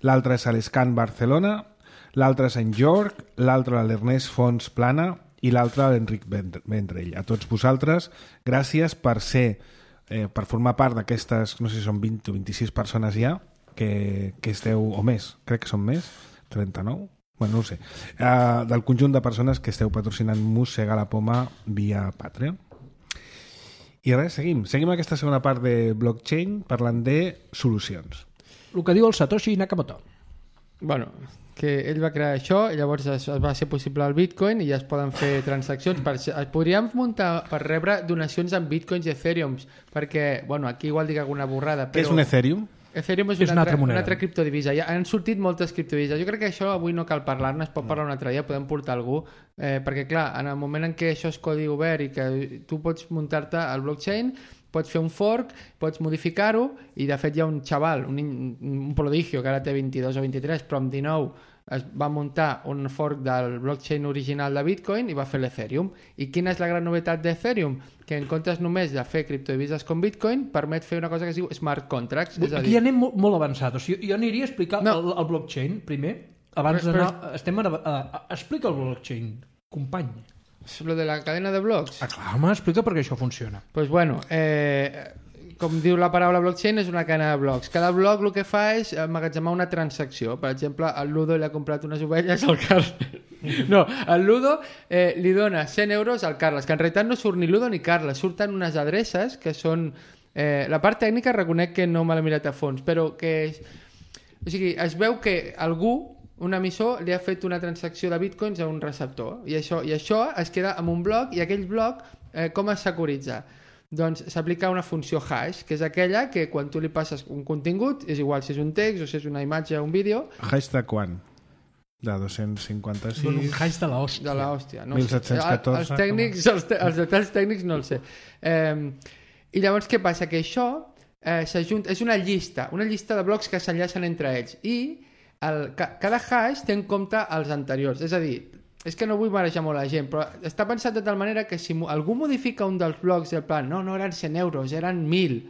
l'altre és l'Escan Barcelona, l'altre és en Jorg, l'altre l'Ernest Fons Plana i l'altre l'Enric Vendrell. A tots vosaltres, gràcies per ser eh, per formar part d'aquestes, no sé si són vint o vint-i-sis persones ja, que, que esteu, o més, crec que són més, trenta-nou, bueno, no ho sé, uh, del conjunt de persones que esteu patrocinant Mossega la Poma via Patreon. I res, seguim. Seguim aquesta segona part de blockchain parlant de solucions. El que diu el Satoshi Nakamoto. Bueno, que ell va crear això i llavors es, es va ser possible el Bitcoin i ja es poden fer transaccions. Per, es podríem muntar per rebre donacions en Bitcoins i Ethereums, perquè, bueno, aquí igual dic alguna borrada, però... Què és un Ethereum? Ethereum és, és una, una, altra altra, moneda. una altra criptodivisa. Ja han sortit moltes criptodivises. Jo crec que això avui no cal parlar-ne, es pot parlar un altre dia, podem portar algú, eh, perquè clar, en el moment en què això és codi obert i que tu pots muntar-te al blockchain, pots fer un fork, pots modificar-ho, i de fet hi ha un xaval, un, un prodigio que ara té vint-i-dos o vint-i-tres, però amb dinou es va muntar un fork del blockchain original de Bitcoin i va fer l'Ethereum. I quina és la gran novetat d'Ethereum? Que en comptes només de fer criptodivises com Bitcoin, permet fer una cosa que es diu smart contracts. És a Aquí dir... ja anem molt, molt avançat. O sigui, jo aniria a explicar No. el, el blockchain primer, abans Però- d'anar... però- Estem a, a, a, explica el blockchain, company. És lo de la cadena de blocs. Ah, clar, home, explica perquè això funciona. Pues bueno, eh, com diu la paraula blockchain, és una cadena de blocs. Cada bloc el que fa és emmagatzemar una transacció. Per exemple, el Ludo li ha comprat unes ovelles al Carles. No, el Ludo eh, li dona cent euros al Carles, que en realitat no surt ni Ludo ni Carles, surten unes adreces que són... Eh, la part tècnica reconec que no me l'he mirat a fons, però que... És, o sigui, es veu que algú, un emissor, li ha fet una transacció de bitcoins a un receptor, i això, i això es queda en un bloc, i aquell bloc eh, com es securitza? Doncs s'aplica una funció hash, que és aquella que quan tu li passes un contingut, és igual si és un text o si és una imatge o un vídeo, Hash de quan? De dos-cents cinquanta-sis... Dono un hash de l'hòstia. de l'hòstia. No mil set-cents catorze, Els tècnics, els, te, els detalls tècnics no els sé. Eh, I llavors què passa? Que això eh, s'ajunta, és una llista, una llista de blocs que s'enllacen entre ells, i el, ca, cada hash té en compte els anteriors. És a dir, és que no vull marejar molt la gent, però està pensat de tal manera que si algú modifica un dels blocs del plan, no, no eren cent euros, eren mil.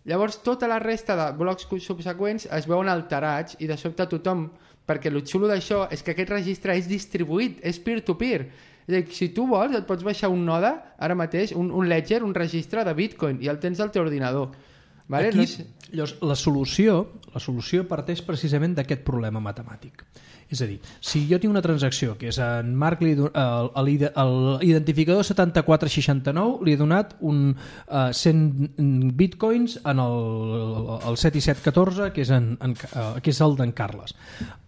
Llavors tota la resta de blocs subseqüents es veuen alterats i de sobte tothom, perquè el xulo d'això és que aquest registre és distribuït, és peer-to-peer. És a dir, si tu vols et pots baixar un node ara mateix, un, un ledger, un registre de Bitcoin, i el tens al teu ordinador. Vale? Aquí, No és... llavors, la solució, la solució parteix precisament d'aquest problema matemàtic. És a dir, si jo tinc una transacció que és en Marc, li he don- el- el- l'identificador setanta-quatre seixanta-nou li he donat un uh, cent bitcoins en el, el set i set catorze, que és, en, en, uh, que és el d'en Carles.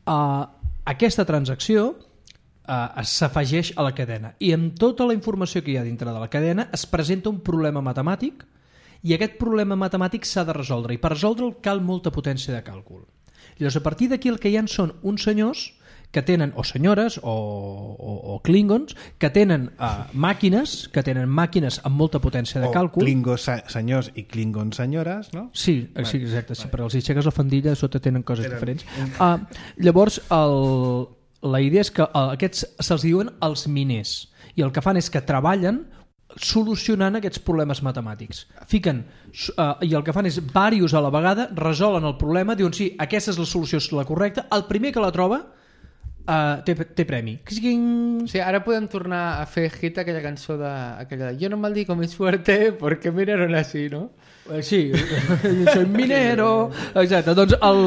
Uh, aquesta transacció uh, s'afegeix a la cadena i amb tota la informació que hi ha dintre de la cadena es presenta un problema matemàtic i aquest problema matemàtic s'ha de resoldre i per resoldre'l cal molta potència de càlcul. Llavors, a partir d'aquí el que hi ha són uns senyors que tenen, o senyores o, o, o klingons, que tenen uh, màquines, que tenen màquines amb molta potència de o càlcul. Klingons senyors i Klingons senyores, no? Sí, sí, exacte, sí, però els aixeques la faldilla, a sota tenen coses tenen... diferents. Uh, llavors, el, la idea és que uh, aquests se'ls diuen els miners, i el que fan és que treballen solucionant aquests problemes matemàtics. Fiquen, uh, i el que fan és diversos a la vegada, resolen el problema, diuen sí, aquesta és la solució, és la correcta, el primer que la troba uh, té, té premi. O sigui, ara podem tornar a fer hit aquella cançó de, aquella de yo no maldigo mi suerte porque miraron así, no? Eh, Sí, soy minero. Exacte, doncs, el,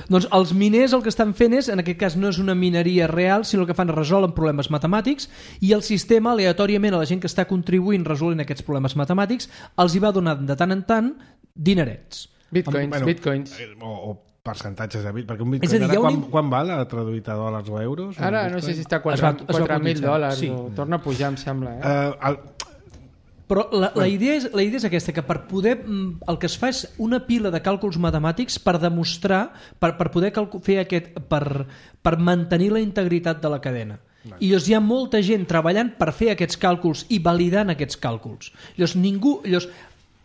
doncs els miners el que estan fent és, en aquest cas no és una mineria real, sinó el que fan és resolen problemes matemàtics i el sistema aleatòriament a la gent que està contribuint resolent aquests problemes matemàtics els hi va donant de tant en tant dinerets. Bitcoins, Bueno, bitcoins. eh, O, o percentatges de bit, perquè un És bitcoin a dir, ara hi ha un quan, im- quan val a traduït a dòlars o euros? un Ara no bitcoin? sé si està a Es va- es va quatre mil cotitzar, dòlars sí. o torna a pujar, em sembla. Eh? Eh, el, Però la, la, idea és, la idea és aquesta, que per poder, mm, el que es fa és una pila de càlculs matemàtics per demostrar, per, per poder calcu- fer aquest, per, per mantenir la integritat de la cadena. I llavors hi ha molta gent treballant per fer aquests càlculs i validant aquests càlculs. Llavors ningú, llavors,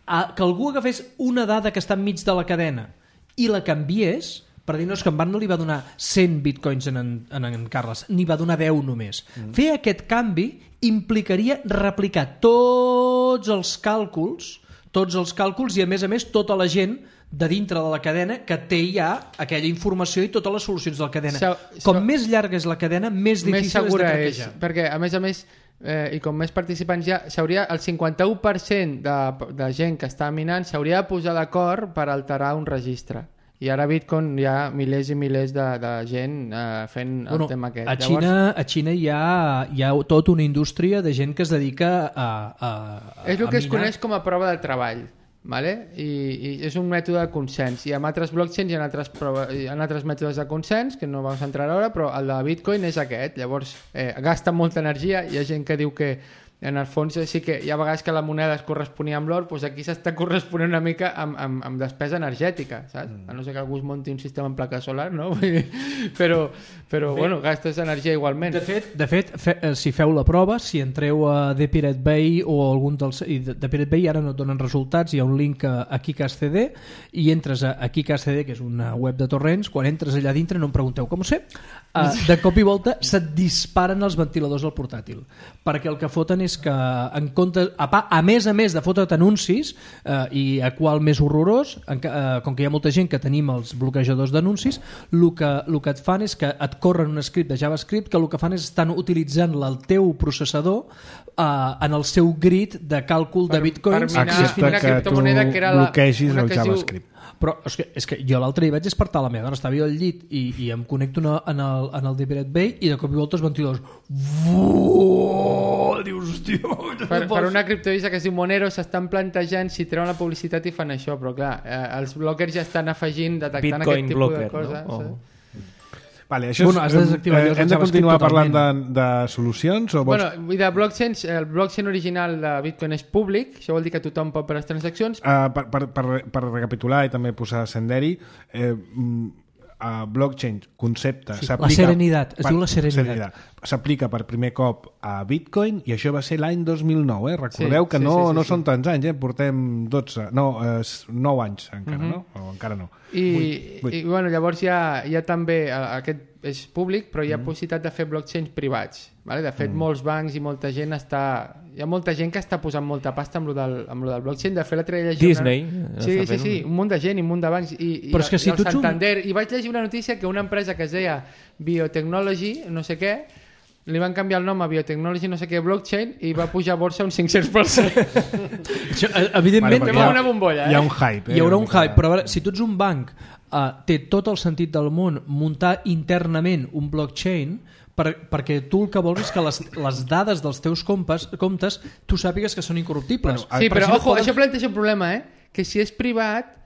a, que algú agafés una dada que està enmig de la cadena i la canviés, per dir, no, és que en Van no li va donar cent bitcoins en en, en, en Carles, n'hi va donar deu només. Mm. Fer aquest canvi implicaria replicar tots els càlculs, tots els càlculs i a més a més tota la gent de dintre de la cadena que té ja aquella informació i totes les solucions de la cadena. So- Com so- més llarga és la cadena, més Més difícil és de segura és, craquejar. perquè a més a més eh, i com més participants hi ha, s'hauria, el cinquanta-u per cent de, de gent que està minant s'hauria de posar d'acord per alterar un registre. I ara a Bitcoin hi ha milers i milers de, de gent eh, fent el bueno, tema aquest. A Xina, Llavors, a Xina hi, ha, hi ha tota una indústria de gent que es dedica a, a, a és el que a es minar. coneix com a prova de treball. Vale? I, i és un mètode de consens i amb altres blockchains hi ha altres, prova, hi ha altres mètodes de consens que no vam entrar ara, però el de Bitcoin és aquest. Llavors eh, gasta molta energia, hi ha gent que diu que en el fons sí que hi ha vegades que la moneda es corresponia amb l'or, doncs aquí s'està corresponent una mica amb, amb, amb despesa energètica, saps? Mm. A no ser que algú es munti un sistema en placa solar, no? però, però bueno, gastes energia igualment. De fet, de fet fe, si feu la prova, si entreu a The Pirate Bay o algun dels... I de, de Pirate Bay ara no et donen resultats, hi ha un link a, a KiCash.cd i entres a, a KiCash.cd, que és una web de torrents, quan entres allà dintre no em pregunteu com ho sé, uh, de cop i volta se't disparen els ventiladors al portàtil, perquè el que foten és que en compte, a, pa, a més a més de fotre't anuncis eh, i a qual més horrorós, en, eh, com que hi ha molta gent que tenim els bloquejadors d'anuncis, el que, el que et fan és que et corren un script de JavaScript que el que fan és estan utilitzant el teu processador eh, en el seu grid de càlcul per, de bitcoins. Per minar una criptomoneda que era la, bloquegis el JavaScript. Però és que, és que jo l'altre dia vaig despertar la meva dona, estava jo al llit i, i em connecto una, en el, en el The Pirate Bay i de cop i volta els ventiladors vuuu, dius, hòstia, per, per una criptodivisa que es diu Monero s'estan plantejant si treuen la publicitat i fan això, però clar, eh, els blockers ja estan afegint, detectant Bitcoin aquest tipus blocker, de coses, no? oh. Vale, això bueno, és, has de desactivar eh, hem de continuar parlant de, de solucions o vols... Bueno, i de blockchains, el blockchain original de Bitcoin és públic, això vol dir que tothom pot per les transaccions. Uh, per, per, per, per recapitular i també posar senderi, eh, uh, blockchain, concepte... Sí, la serenitat, es per, diu la serenitat. S'aplica per primer cop a Bitcoin i això va ser l'any dos mil nou, eh? Recordeu sí, que sí, no, sí, sí, no sí. són tants anys, eh? Portem dotze, no, eh, nou anys encara, uh-huh. no? O encara no. I, vuit, vuit. I bueno, llavors hi ha, hi ha també, aquest és públic, però hi ha mm. possibilitat de fer blockchains privats. Vale? De fet, mm. molts bancs i molta gent està... Hi ha molta gent que està posant molta pasta amb lo del, amb lo del blockchain. De fet, l'altre dia llegir Disney. Una... Sí, sí, sí, un munt de gent i un munt de bancs. I, però i, és que si i el tu ets Santander. un... I vaig llegir una notícia que una empresa que es deia Biotechnology, no sé què, li van canviar el nom a Biotechnology no sé què blockchain i va pujar a borsa un cinc-cents per cent. Això, evidentment, vale, hi ha una bombolla, eh? Hi ha un hype. Eh? Hi haurà un hype, però a veure, si tu ets un banc, uh, té tot el sentit del món muntar internament un blockchain per, perquè tu el que vols és que les, les dades dels teus comptes, comptes tu sàpigues que són incorruptibles. Bueno, sí, però si ojo, no poden... això planteja un problema, eh? Que si és privat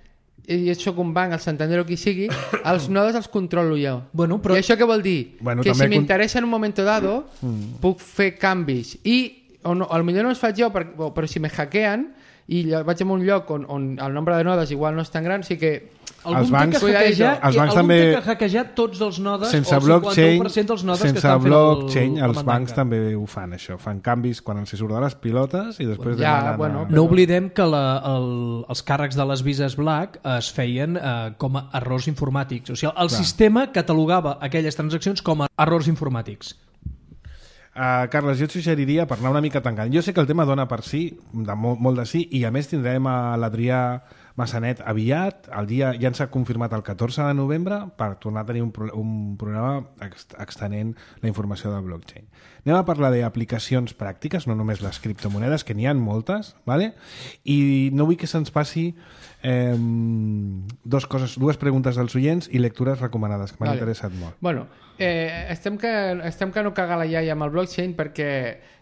i jo soc un banc, el Santander o qui sigui, els nodes els controlo jo. Bueno, però... I això què vol dir? Bueno, que si m'interessa con... en un moment dado mm. puc fer canvis i o no, potser no els faig jo, per, però si me hackeen i vaig a un lloc on, on el nombre de nodes igual no és tan gran, o sigui que algun els bancs, que hackejar, els bancs també té que hackejar tots els nodes sense o el cinquanta-u per cent dels nodes sense que estan blockchain, fent el, els bancs també ho fan això, fan canvis quan els surt de les pilotes i després ja, demanen bueno, a... no oblidem que la, el, els càrrecs de les vises Black es feien eh, com a errors informàtics, o sigui, el Clar. sistema catalogava aquelles transaccions com a errors informàtics. Uh, Carles, jo et suggeriria per anar una mica tancant. Jo sé que el tema dona per sí, de molt, molt de sí, i a més tindrem a l'Adrià Massanet aviat, el dia ja ens ha confirmat el catorze de novembre per tornar a tenir un, pro un programa extenent la informació del blockchain. Anem a parlar d'aplicacions pràctiques, no només les criptomonedes, que n'hi ha moltes, ¿vale? I no vull que se'ns passi eh, dos coses, dues preguntes dels oients i lectures recomanades, que m'han vale. interessat molt. Bueno, eh, estem, que, estem que no caga la iaia amb el blockchain perquè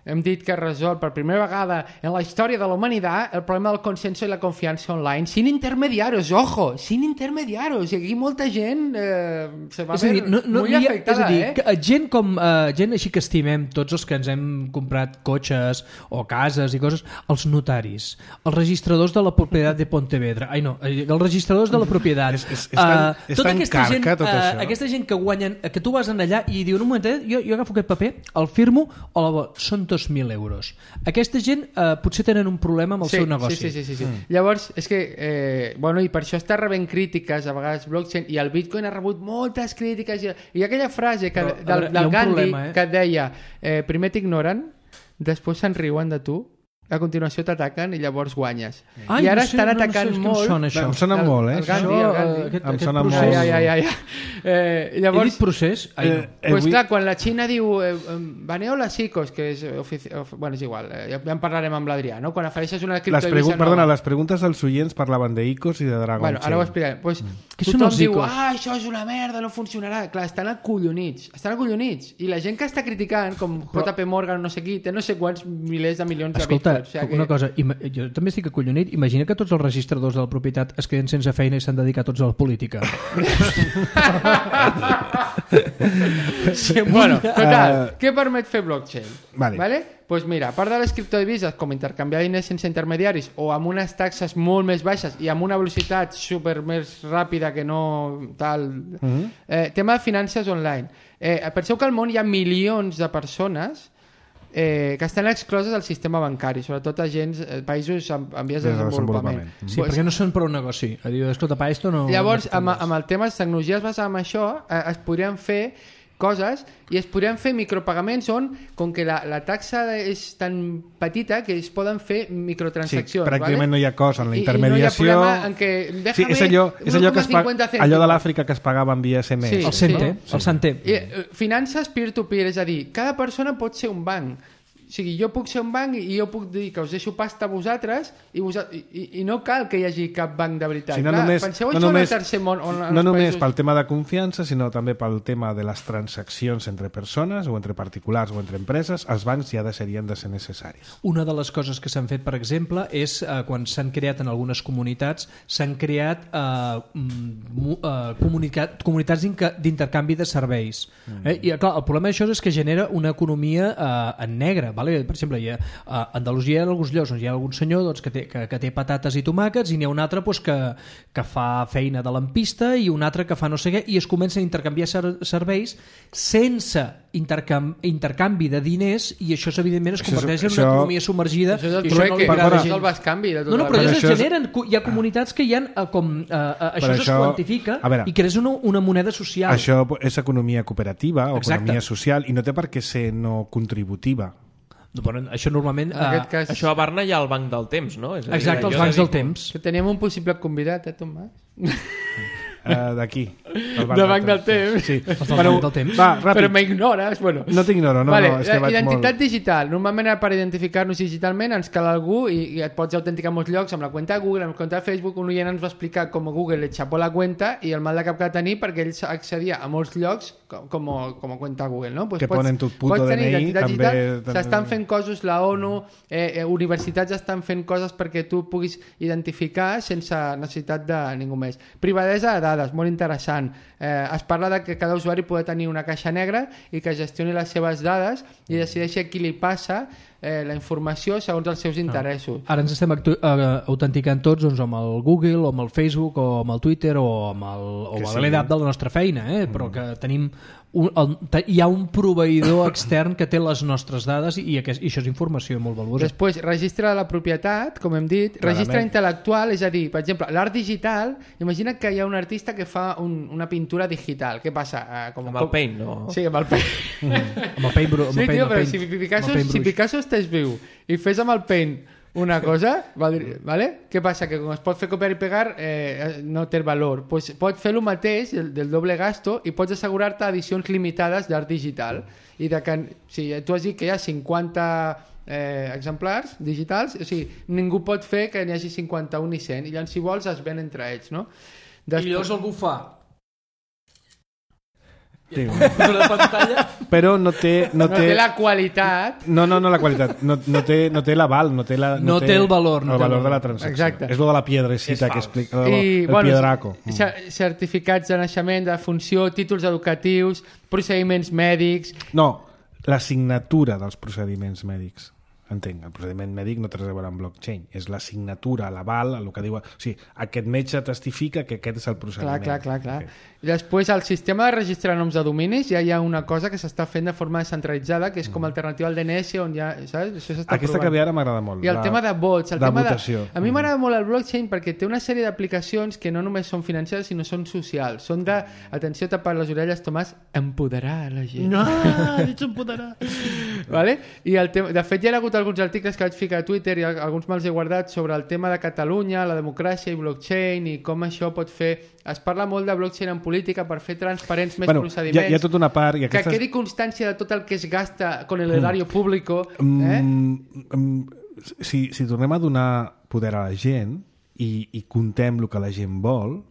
hem dit que resol per primera vegada en la història de la humanitat el problema del consenso i la confiança online sin intermediarios, ojo, sin intermediarios, i aquí molta gent eh, se va veure no, no, molt afectada, és a dir, eh? Que, gent com uh, gent així que estimem tots els que ens hem comprat cotxes o cases i coses, els notaris, els registradors de la propietat de Pontevedra, ai no, els registradors de la propietat, és, és, és tan, uh, és tota tan aquesta carca, gent, tot uh, això. aquesta gent que guanyen, que tu vas en allà i diuen un momentet, jo, jo agafo aquest paper, el firmo, o la, són dos mil euros. Aquesta gent eh, potser tenen un problema amb el sí, seu negoci. Sí, sí, sí, sí. Mm. Llavors, és que, eh, bueno, i per això està rebent crítiques a vegades blockchain, i el Bitcoin ha rebut moltes crítiques, i, i aquella frase que, Però, del, del Gandhi problema, eh? que deia, eh, primer t'ignoren, després se'n riuen de tu, a continuació t'ataquen i llavors guanyes. Ai, I ara no sé, estan no, no atacant sé, és que molt... Em sona això. Em sona molt, eh? El Gandhi, Això, el Gandhi. eh, aquest, Em aquest sona procés... molt. Ja, ja, ja, ja. Eh, llavors, He dit procés? Ai, no. Eh, eh, pues avui- clar, quan la Xina diu eh, baneu les chicos, que és ofici... of... bueno, és igual, eh, ja, ja en parlarem amb l'Adrià, no? Quan ofereixes una Les criptodivisa pregu... nova. Perdona, les preguntes dels oients parlaven d'Icos i de Dragon Bueno, ara ho Chain. explicarem. Pues, Què són tothom els diu, icos? ah, això és una merda, no funcionarà. Clar, estan acollonits. Estan acollonits. I la gent que està criticant, com J P Morgan, no sé qui, té no sé quants milers de milions Escolta, de bitcoins. O sigui una cosa, ima- jo també estic acollonit. Imagina que tots els registradors de la propietat es queden sense feina i s'han dedicat tots a la política. Sí, bueno, total, Uh, què permet fer blockchain? Vale. Vale? Pues mira, a part de les criptodivises, com intercanviar diners sense intermediaris o amb unes taxes molt més baixes i amb una velocitat super més ràpida que no tal... Mhm. eh, tema de finances online. Eh, penseu que al món hi ha milions de persones eh, que estan excloses del sistema bancari, sobretot a gens, eh, països amb, amb vies de De desenvolupament. desenvolupament. Sí, perquè no són per un negoci. A dir, escolta, pa, esto no... Llavors, no amb, amb el tema de tecnologies basades en això, eh, es podrien fer coses i es podrien fer micropagaments on, com que la, la taxa és tan petita que es poden fer Sí, microtransaccions. pràcticament ¿vale? no hi ha cost en la I- intermediació. I, no hi ha problema en que Sí, déjame és allò, és allò, que es paga, uno coma cincuenta allò de cèntimos. l'Àfrica que es pagava en via S M S. Sí. El center, Sí. el center. I, eh, finances peer-to-peer, és a dir, cada persona pot ser un banc. O sigui, jo puc ser un banc i jo puc dir que us deixo pasta a vosaltres i, vos, i, i, i no cal que hi hagi cap banc de veritat. Sí, no Clar, només, penseu no això en el només, tercer món. On, en no els només països... pel tema de confiança, sinó també pel tema de les transaccions entre persones o entre particulars o entre empreses, els bancs ja deixarien de ser necessaris. Una de les coses que s'han fet, per exemple, és eh, quan s'han creat en algunes comunitats, s'han creat eh, mm, eh, comunicat, comunitats d'inca- d'intercanvi de serveis. Mm. Eh? I clar, el problema d'això és que genera una economia eh, en negre. Vale? Per exemple, hi ha, a Andalusia hi ha alguns llocs on hi ha algun senyor doncs, que, té, que, que té patates i tomàquets i n'hi ha un altre doncs, que, que fa feina de lampista i un altre que fa no sé què i es comencen a intercanviar ser serveis sense intercam intercanvi de diners i això evidentment es Això és- converteix en això- una economia submergida. Això és el i això no li trueque, agrada això gens. és el bascanvi de tota No, no, la però vida. ja Això es és- generen, cu- hi ha comunitats que hi ha eh, com... Eh, eh, això Però es això- quantifica a veure, i crees una, una moneda social. Això és economia cooperativa o Exacte. economia social i no té per què ser no contributiva. Bueno, això normalment... En aquest Eh, cas, Això a Barna hi ha el banc del temps, no? És a dir, exacte, els allò de bancs dir, del temps. que teníem un possible convidat, eh, Tomàs? Uh, D'aquí. Del Del banc del temps. Sí. del banc del temps. Va, ràpid. Però m'ignores, bueno. No t'ignoro, no, vale, no, és que vaig identitat molt... digital. Normalment per identificar-nos digitalment ens cal algú i, i et pots autenticar en molts llocs amb la cuenta de Google, amb la cuenta de Facebook. Un oient ens va explicar com Google le xapó la cuenta i el mal de cap que va tenir perquè ell accedia a molts llocs com, com, com a cuenta Google, no? Pues Que ponen tu puto pots tenir D N I, identitat també- digital. també- S'estan fent coses, la ONU, eh, eh, universitats estan fent coses perquè tu puguis identificar sense necessitat de ningú més. Privadesa de dades, molt interessant. Eh, es parla de que cada usuari pot tenir una caixa negra i que gestioni les seves dades i decideixi a qui li passa eh, la informació segons els seus interessos. Ara ens estem actu- eh, autenticant tots doncs, amb el Google, o amb el Facebook, o amb el Twitter, o amb el, o Que amb sí. l'E D A P de la nostra feina, eh? Però que tenim un, el, te, hi ha un proveïdor extern que té les nostres dades i, aquest, i això és informació molt valuosa. Després, registre de la propietat, com hem dit, Clarament. registre intel·lectual, és a dir, per exemple, l'art digital, imagina que hi ha un artista que fa un, una pintura digital. Què passa? Eh, com, Amb el Paint, no? Sí, amb el Paint. Amb el Paint, bru- amb Sí, el paint, tio, amb el però paint, si Picasso, amb el paint si bruix. Picasso estàs viu i fes amb el Paint una cosa, vale? ¿vale? Què passa? Que com es pot fer copiar i pegar eh, no té valor. Pues pots fer el mateix del, del doble gasto i pots assegurar-te edicions limitades d'art digital i de que, si tu has dit que hi ha cinquanta eh, exemplars digitals, o sigui, ningú pot fer que n'hi hagi cinquanta-un ni cent i llavors si vols es ven entre ells, no? I llavors algú fa Sí. una pantalla. Però no té... No, no té té la qualitat. No, no, no la qualitat. No, no té, no té l'aval, no té la... No té el valor, no el té el valor de la valor. transacció. Exacte. És lo de la piedrecita que explica... El, I, el bueno, piedraco. cer- certificats de naixement, de funció, títols educatius, procediments mèdics. No, la signatura dels procediments mèdics. Entenc, el procediment mèdic no té res a veure amb blockchain. És la signatura, l'aval, el que diu... O sigui, aquest metge testifica que aquest és el procediment. Clar, clar, clar, clar. Okay. I després, al sistema de registrar noms de dominis ja hi ha una cosa que s'està fent de forma descentralitzada, que és com alternativa al D N S, on ja, saps? Això s'està Aquesta provant. que ve ara m'agrada molt. I el la, tema de vots, el de tema votació. de... A mi m'agrada molt el blockchain perquè té una sèrie d'aplicacions que no només són financeres, sinó són socials. Són de, atenció, tapar les orelles, Tomàs, empoderar la gent. No, ets empoderar. Vale? I el tema, de fet ja hi ha hagut alguns articles que vaig ficar a Twitter i alguns me'ls he guardat sobre el tema de Catalunya, la democràcia i blockchain i com això pot fer... Es parla molt de blockchain en política per fer transparents més bueno, procediments. Hi ha, hi ha tota una part... I aquestes... Que quedi constància de tot el que es gasta con el erario mm. público. Eh? Mm, mm, si, si tornem a donar poder a la gent i, i contem el que la gent vol,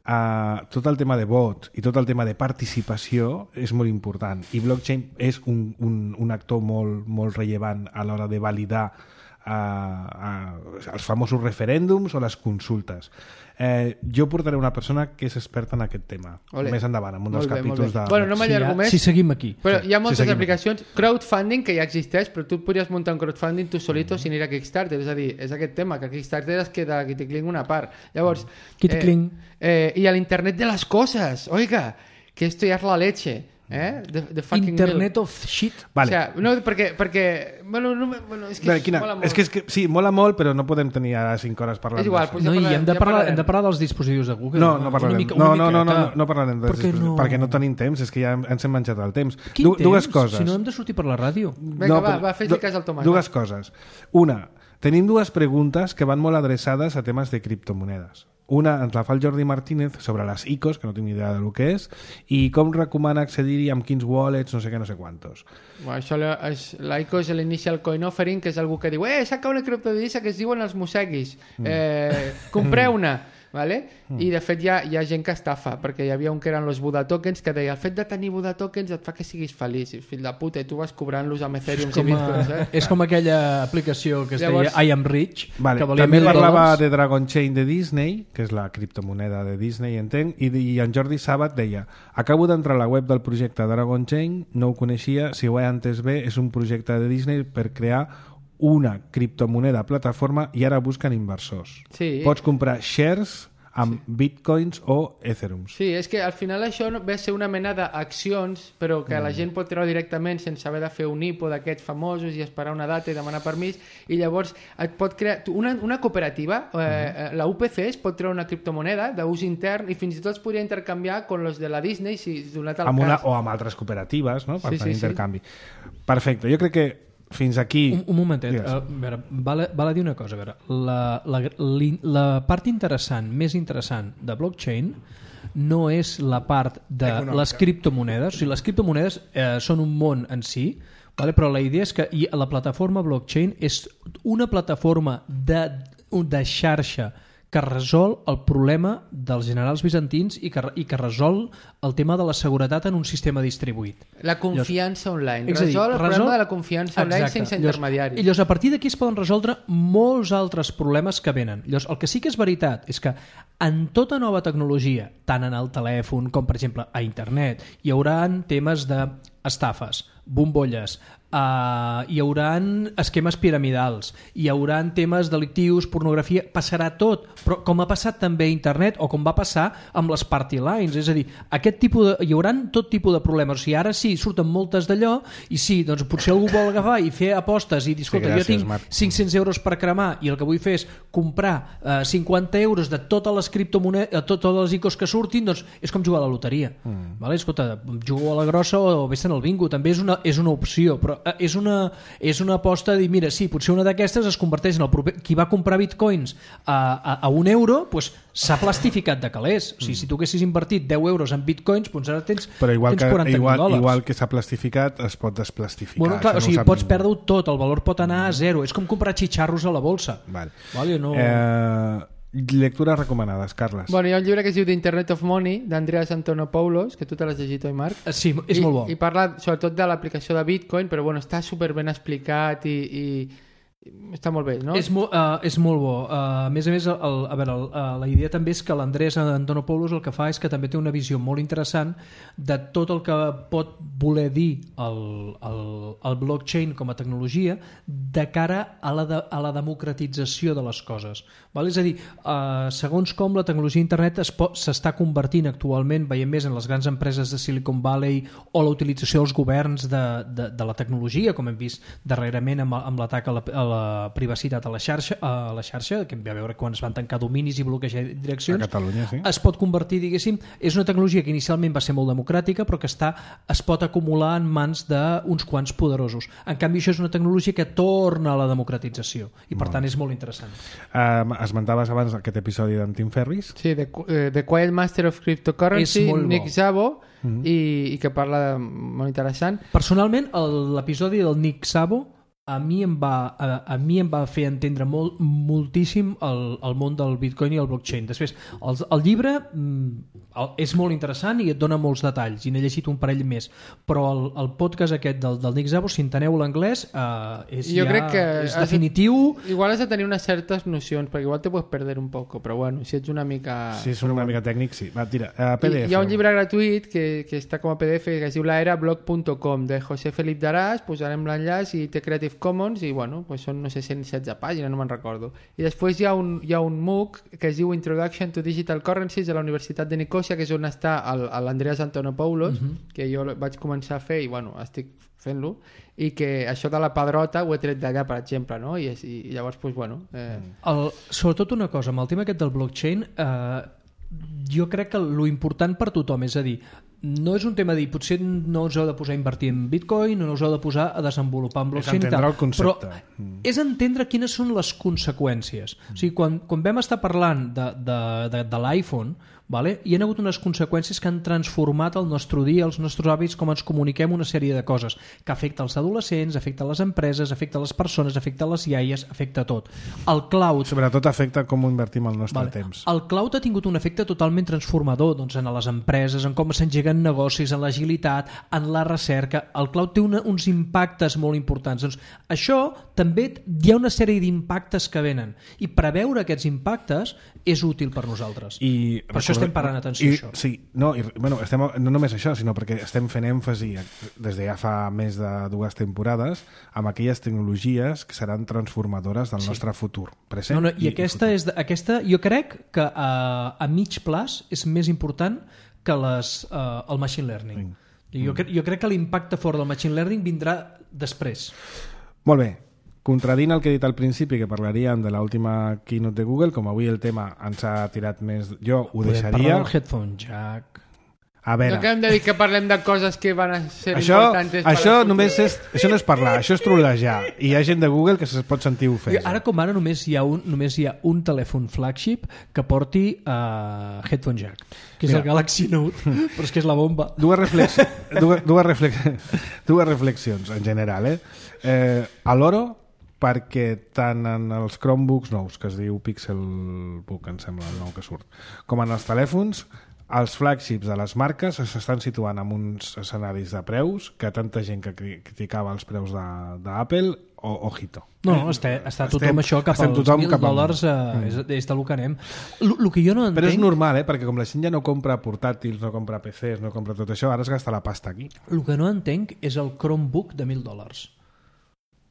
uh, tot el tema de vot i tot el tema de participació és molt important. I blockchain és un, un, un actor molt, molt rellevant a l'hora de validar uh, uh, els famosos referèndums o les consultes. Eh, jo portaré una persona que és experta en aquest tema. Olé. Més endavant, en un dels molt capítols bé, de... Bueno, no m'allargo més. Si seguim aquí. Però hi ha moltes si aplicacions. Aquí. Crowdfunding, que ja existeix, però tu podries muntar un crowdfunding tu solito mm. sin ir a Kickstarter. És a dir, és aquest tema, que Kickstarter es queda qui te cling una part. Llavors... Qui te cling. Eh, eh, I a l'internet de les coses. Oiga, que esto ya es la leche. Eh? The, the fucking Internet milk. of shit. Vale. O sea, no, perquè, perquè bueno, no, bueno, és que Bé, quina, mola molt. és que, és que sí, mola molt, però no podem tenir ara cinc hores parlant És igual, d'això. pues No, ja i parlarem, hem de, ja parlar, parlarem. hem de parlar dels dispositius de Google. No, no parlarem. Mica, no, no, no, no, miqueta. no, no parlarem dels Per què dispositius, no? perquè no tenim temps, és que ja ens hem menjat el temps. Quin Du, temps? dues coses. Si no hem de sortir per la ràdio. Vinga, no, va, però- va, fes-li cas al Tomàs. Dues coses. Una, tenim dues preguntes que van molt adreçades a temes de criptomonedes. Una ens la fa el Jordi Martínez sobre les I C Os, que no tinc ni idea del que és, i com recomana accedir-hi amb quins wallets, no sé què, no sé quantos. Bueno, això és, l'I C O és l'Initial Coin Offering, que és algú que diu eh, saca una criptodivisa que es diuen els museguis. Eh, compreu-una. Vale? I de fet hi ha, hi ha gent que estafa, perquè hi havia un que eren els Buda Tokens que deia el fet de tenir Buda Tokens et fa que siguis feliç, i fill de puta, i tu vas cobrant-los amb Ethereum i Bitcoins, eh? És com aquella aplicació que es Llavors- deia I am rich, Vale. que valia També mil parlava dòlars. de Dragon Chain de Disney, que és la criptomoneda de Disney, entenc, i, i en Jordi Sabat deia acabo d'entrar a la web del projecte Dragon Chain, no ho coneixia, si ho he entès bé, és un projecte de Disney per crear una criptomoneda plataforma i ara busquen inversors. Sí. Pots comprar shares amb sí. bitcoins o ethereums. Sí, és que al final això no- ve a ser una mena d'accions, però que mm. la gent pot treure directament sense haver de fer un I P O d'aquests famosos i esperar una data i demanar permís, i llavors et pot crear tu, una, una cooperativa, eh, mm. la U P C es pot treure una criptomoneda d'ús intern i fins i tot es podria intercanviar con los de la Disney si donat el Amb una, cas. o amb altres cooperatives, no? Per Sí, sí, sí, sí. intercanvi. Perfecte, jo crec que fins aquí... Un, un momentet, Digues. a veure, val, a- val a dir una cosa, a veure, la, la, l'in- la part interessant, més interessant de blockchain no és la part de Econòmica. les criptomonedes, o sigui, les criptomonedes eh, són un món en si, vale? Però la idea és que i la plataforma blockchain és una plataforma de, de xarxa que resol el problema dels generals bizantins i que, i que resol el tema de la seguretat en un sistema distribuït. La confiança online. És a dir, Resol el resol- problema de la confiança online Exacte. sense Llavors- intermediaris. I llavors, a partir d'aquí es poden resoldre molts altres problemes que venen. Llavors, el que sí que és veritat és que en tota nova tecnologia, tant en el telèfon com, per exemple, a internet, hi haurà temes d'estafes, bombolles, Uh, hi hauran esquemes piramidals, hi hauran temes delictius, pornografia, passarà tot, però com ha passat també a internet o com va passar amb les party lines, és a dir, aquest tipus de, hi hauran tot tipus de problemes. O sigui, ara sí, surten moltes d'allò i sí, doncs potser algú vol agafar i fer apostes i dir, escolta, Sí, gràcies, jo tinc Marc. cinc-cents euros per cremar i el que vull fer és comprar uh, cinquanta euros de totes les criptomonedes, uh, totes les I C Os que surtin, doncs és com jugar a la loteria. Mm. Vale? Escolta, jugo a la grossa o vés-te'n al bingo, també és una, és una opció, però és una, és una aposta de dir, mira, sí, potser una d'aquestes es converteix en el proper... Qui va comprar bitcoins a, a, a un euro, doncs s'ha plastificat de calés. O sigui, si tu haguessis invertit deu euros en bitcoins, doncs ara tens, Però igual tens que, quaranta mil igual, dòlars. igual que s'ha plastificat, es pot desplastificar. Bueno, clar, Això o sigui, no ho sap pots ningú. perdre-ho tot, el valor pot anar a zero. És com comprar xitxarros a la bolsa. Vale. Vale, no... Eh, lectures recomanades, Carles. Bueno, hi ha un llibre que es diu The Internet of Money, d'Andreas Antonopoulos, que tu te l'has llegit, oi, Marc? Eh, Sí, és I, molt bo. I parla sobretot de l'aplicació de Bitcoin, però bueno, està super ben explicat i, i, i està molt bé, no? És, mo, uh, és molt bo. Uh, a més a més, el, a veure, el, uh, la idea també és que l'Andrés Antonopoulos el que fa és que també té una visió molt interessant de tot el que pot voler dir el, el, el blockchain com a tecnologia de cara a la, de, a la democratització de les coses. Val? És a dir, uh, segons com la tecnologia d'internet es pot- s'està convertint actualment, veiem més en les grans empreses de Silicon Valley o la utilització dels governs de, de, de la tecnologia, com hem vist darrerament amb, amb l'atac a la, a la privacitat a la xarxa, a la xarxa que vam veure quan es van tancar dominis i bloquejar direccions, A Catalunya, sí. es pot convertir, diguéssim, és una tecnologia que inicialment va ser molt democràtica però que està, es pot acumular en mans d'uns quants poderosos. En canvi, això és una tecnologia que torna a la democratització i per tant és molt interessant. Um, esmentaves abans aquest episodi d'en Tim Ferriss. Sí, The, uh, The Quiet Master of Cryptocurrency, És molt bo. Nick Szabo, mm-hmm. i, i que parla de, molt interessant. Personalment, el- l'episodi del Nick Szabo a mi em va, a, a mi em va fer entendre molt, moltíssim el, el món del Bitcoin i el blockchain. Després, el, el llibre mm, el, és molt interessant i et dona molts detalls, i n'he llegit un parell més, però el, el podcast aquest del, del Nick Szabo, si enteneu l'anglès, eh, és, Jo ja, crec que és has de- definitiu. Igual has de tenir unes certes nocions, perquè igual te puedes perder un poco, però bueno, si ets una mica... Si és una mica tècnic, sí. Va, tira, uh, P D F. I, hi ha un llibre gratuït que, que està com a P D F que es diu laera blog punt com de José Felip Daràs, posarem l'enllaç, i té Creative Commons, i bueno, pues són no sé cent setze pàgines, no me'n recordo. I després hi ha un, hi ha un MOOC que es diu Introduction to Digital Currencies de la Universitat de Nicòsia, que és on està el- l'Andreas Antonopoulos, uh-huh. que jo vaig començar a fer i bueno, estic fent-lo, i que això de la pedrota ho he tret d'allà, per exemple, no? I, és, i llavors, pues, bueno... Eh... El, sobretot una cosa, amb el tema aquest del blockchain, eh, jo crec que lo important per tothom, és a dir, no és un tema de dir, potser no us heu de posar a invertir en Bitcoin, no us heu de posar a desenvolupar en blockchain i entendre tal, el concepte. però és entendre quines són les conseqüències. O sigui, quan, quan vam estar parlant de, de, de, de l'iPhone, vale? Hi ha hagut unes conseqüències que han transformat el nostre dia, els nostres hàbits, com ens comuniquem, una sèrie de coses que afecta els adolescents, afecta les empreses, afecta les persones, afecta les iaies, afecta tot. El cloud... Sobretot afecta com invertim el nostre Vale. temps. El cloud ha tingut un efecte totalment transformador, doncs, en les empreses, en com s'engeguen negocis, en l'agilitat, en la recerca. El cloud té una, uns impactes molt importants. Doncs això també hi ha una sèrie d'impactes que venen, i preveure aquests impactes és útil per nosaltres. I per això estem parant atenció I, a això. Sí, no, i, bueno, estem, no només això, sinó perquè estem fent èmfasi des de ja fa més de dues temporades amb aquelles tecnologies que seran transformadores del Sí. nostre futur present. No, no, i aquesta, és, de- aquesta jo crec que a, a mig plaç és més important que les, uh, el machine learning. I jo, cre jo crec que l'impacte fort del machine learning vindrà després. Molt bé. Contradint el que he dit al principi, que parlaríem de l'última keynote de Google, com avui el tema ens ha tirat més... Jo ho Podem deixaria... parlar del headphone jack. A veure, No que hem de dir que parlem de coses que van a ser això, importants per això al futur. només és, això no és parlar, això és trolejar. I hi ha gent de Google que es pot sentir ofesa. Ara com ara només hi ha un, només hi ha un telèfon flagship que porti uh, headphone jack, que és Mira. el Galaxy Note, però és que és la bomba. Dues, reflex... dues, dues, reflex... dues reflexions en general. Eh? Eh, a l'oro, perquè tant en els Chromebooks nous, que es diu Pixelbook, em sembla el nou que surt, com en els telèfons, els flagships de les marques s'estan situant en uns escenaris de preus que tanta gent que cri- criticava els preus de- d'Apple, o, ojito. No, està, està tothom Estem- això cap estem als tothom mil cap amunt. dòlars, eh, és, és de lo que anem. El que jo no entenc... Però és normal, eh? Perquè com la gent ja no compra portàtils, no compra P Cs, no compra tot això, ara es gasta la pasta aquí. El que no entenc és el Chromebook de mil dòlars.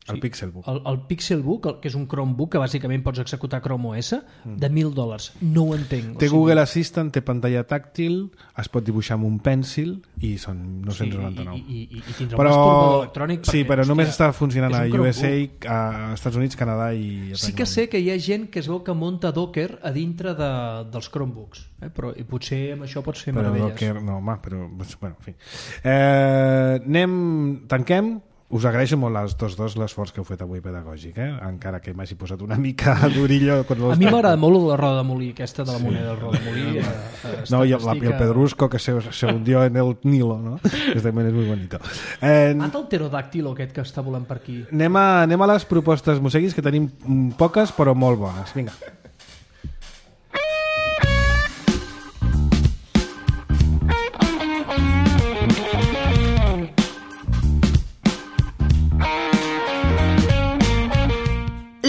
El Sí. Pixelbook. El, el Pixelbook, el, que és un Chromebook que bàsicament pots executar Chrome O S, de mil dòlars. No ho entenc. Té Google Assistant, té pantalla tàctil, es pot dibuixar amb un pèncil i són nou-cents noranta-nou. I, i, i, i tindrà Però, un masturbador electrònic sí, perquè, però hòstia, només està funcionant és a un U S A, Chromebook. a Estats Units, Canadà i Regne Sí que Unit. sé que hi ha gent que es veu que munta Docker a dintre de, dels Chromebooks, eh? Però i potser amb això pots fer Però meravelles. Docker, no, home, però... Bueno, en fi. Eh, anem... Tanquem. Us agraeixo molt als tots dos l'esforç que heu fet avui pedagògic, eh? Encara que m'hagi posat una mica d'orillo. A mi m'agrada molt la roda de molí, aquesta de la moneda del roda de molí. Eh, eh, No, y el, estic, y el eh, pedrusco que se, se hundió en el Nilo, ¿no? Que también es muy bonito. Eh, Mata el pterodàctil aquest que està volant per aquí. anem, a, anem a les propostes museguis, que tenim mm, poques però molt bones. Vinga.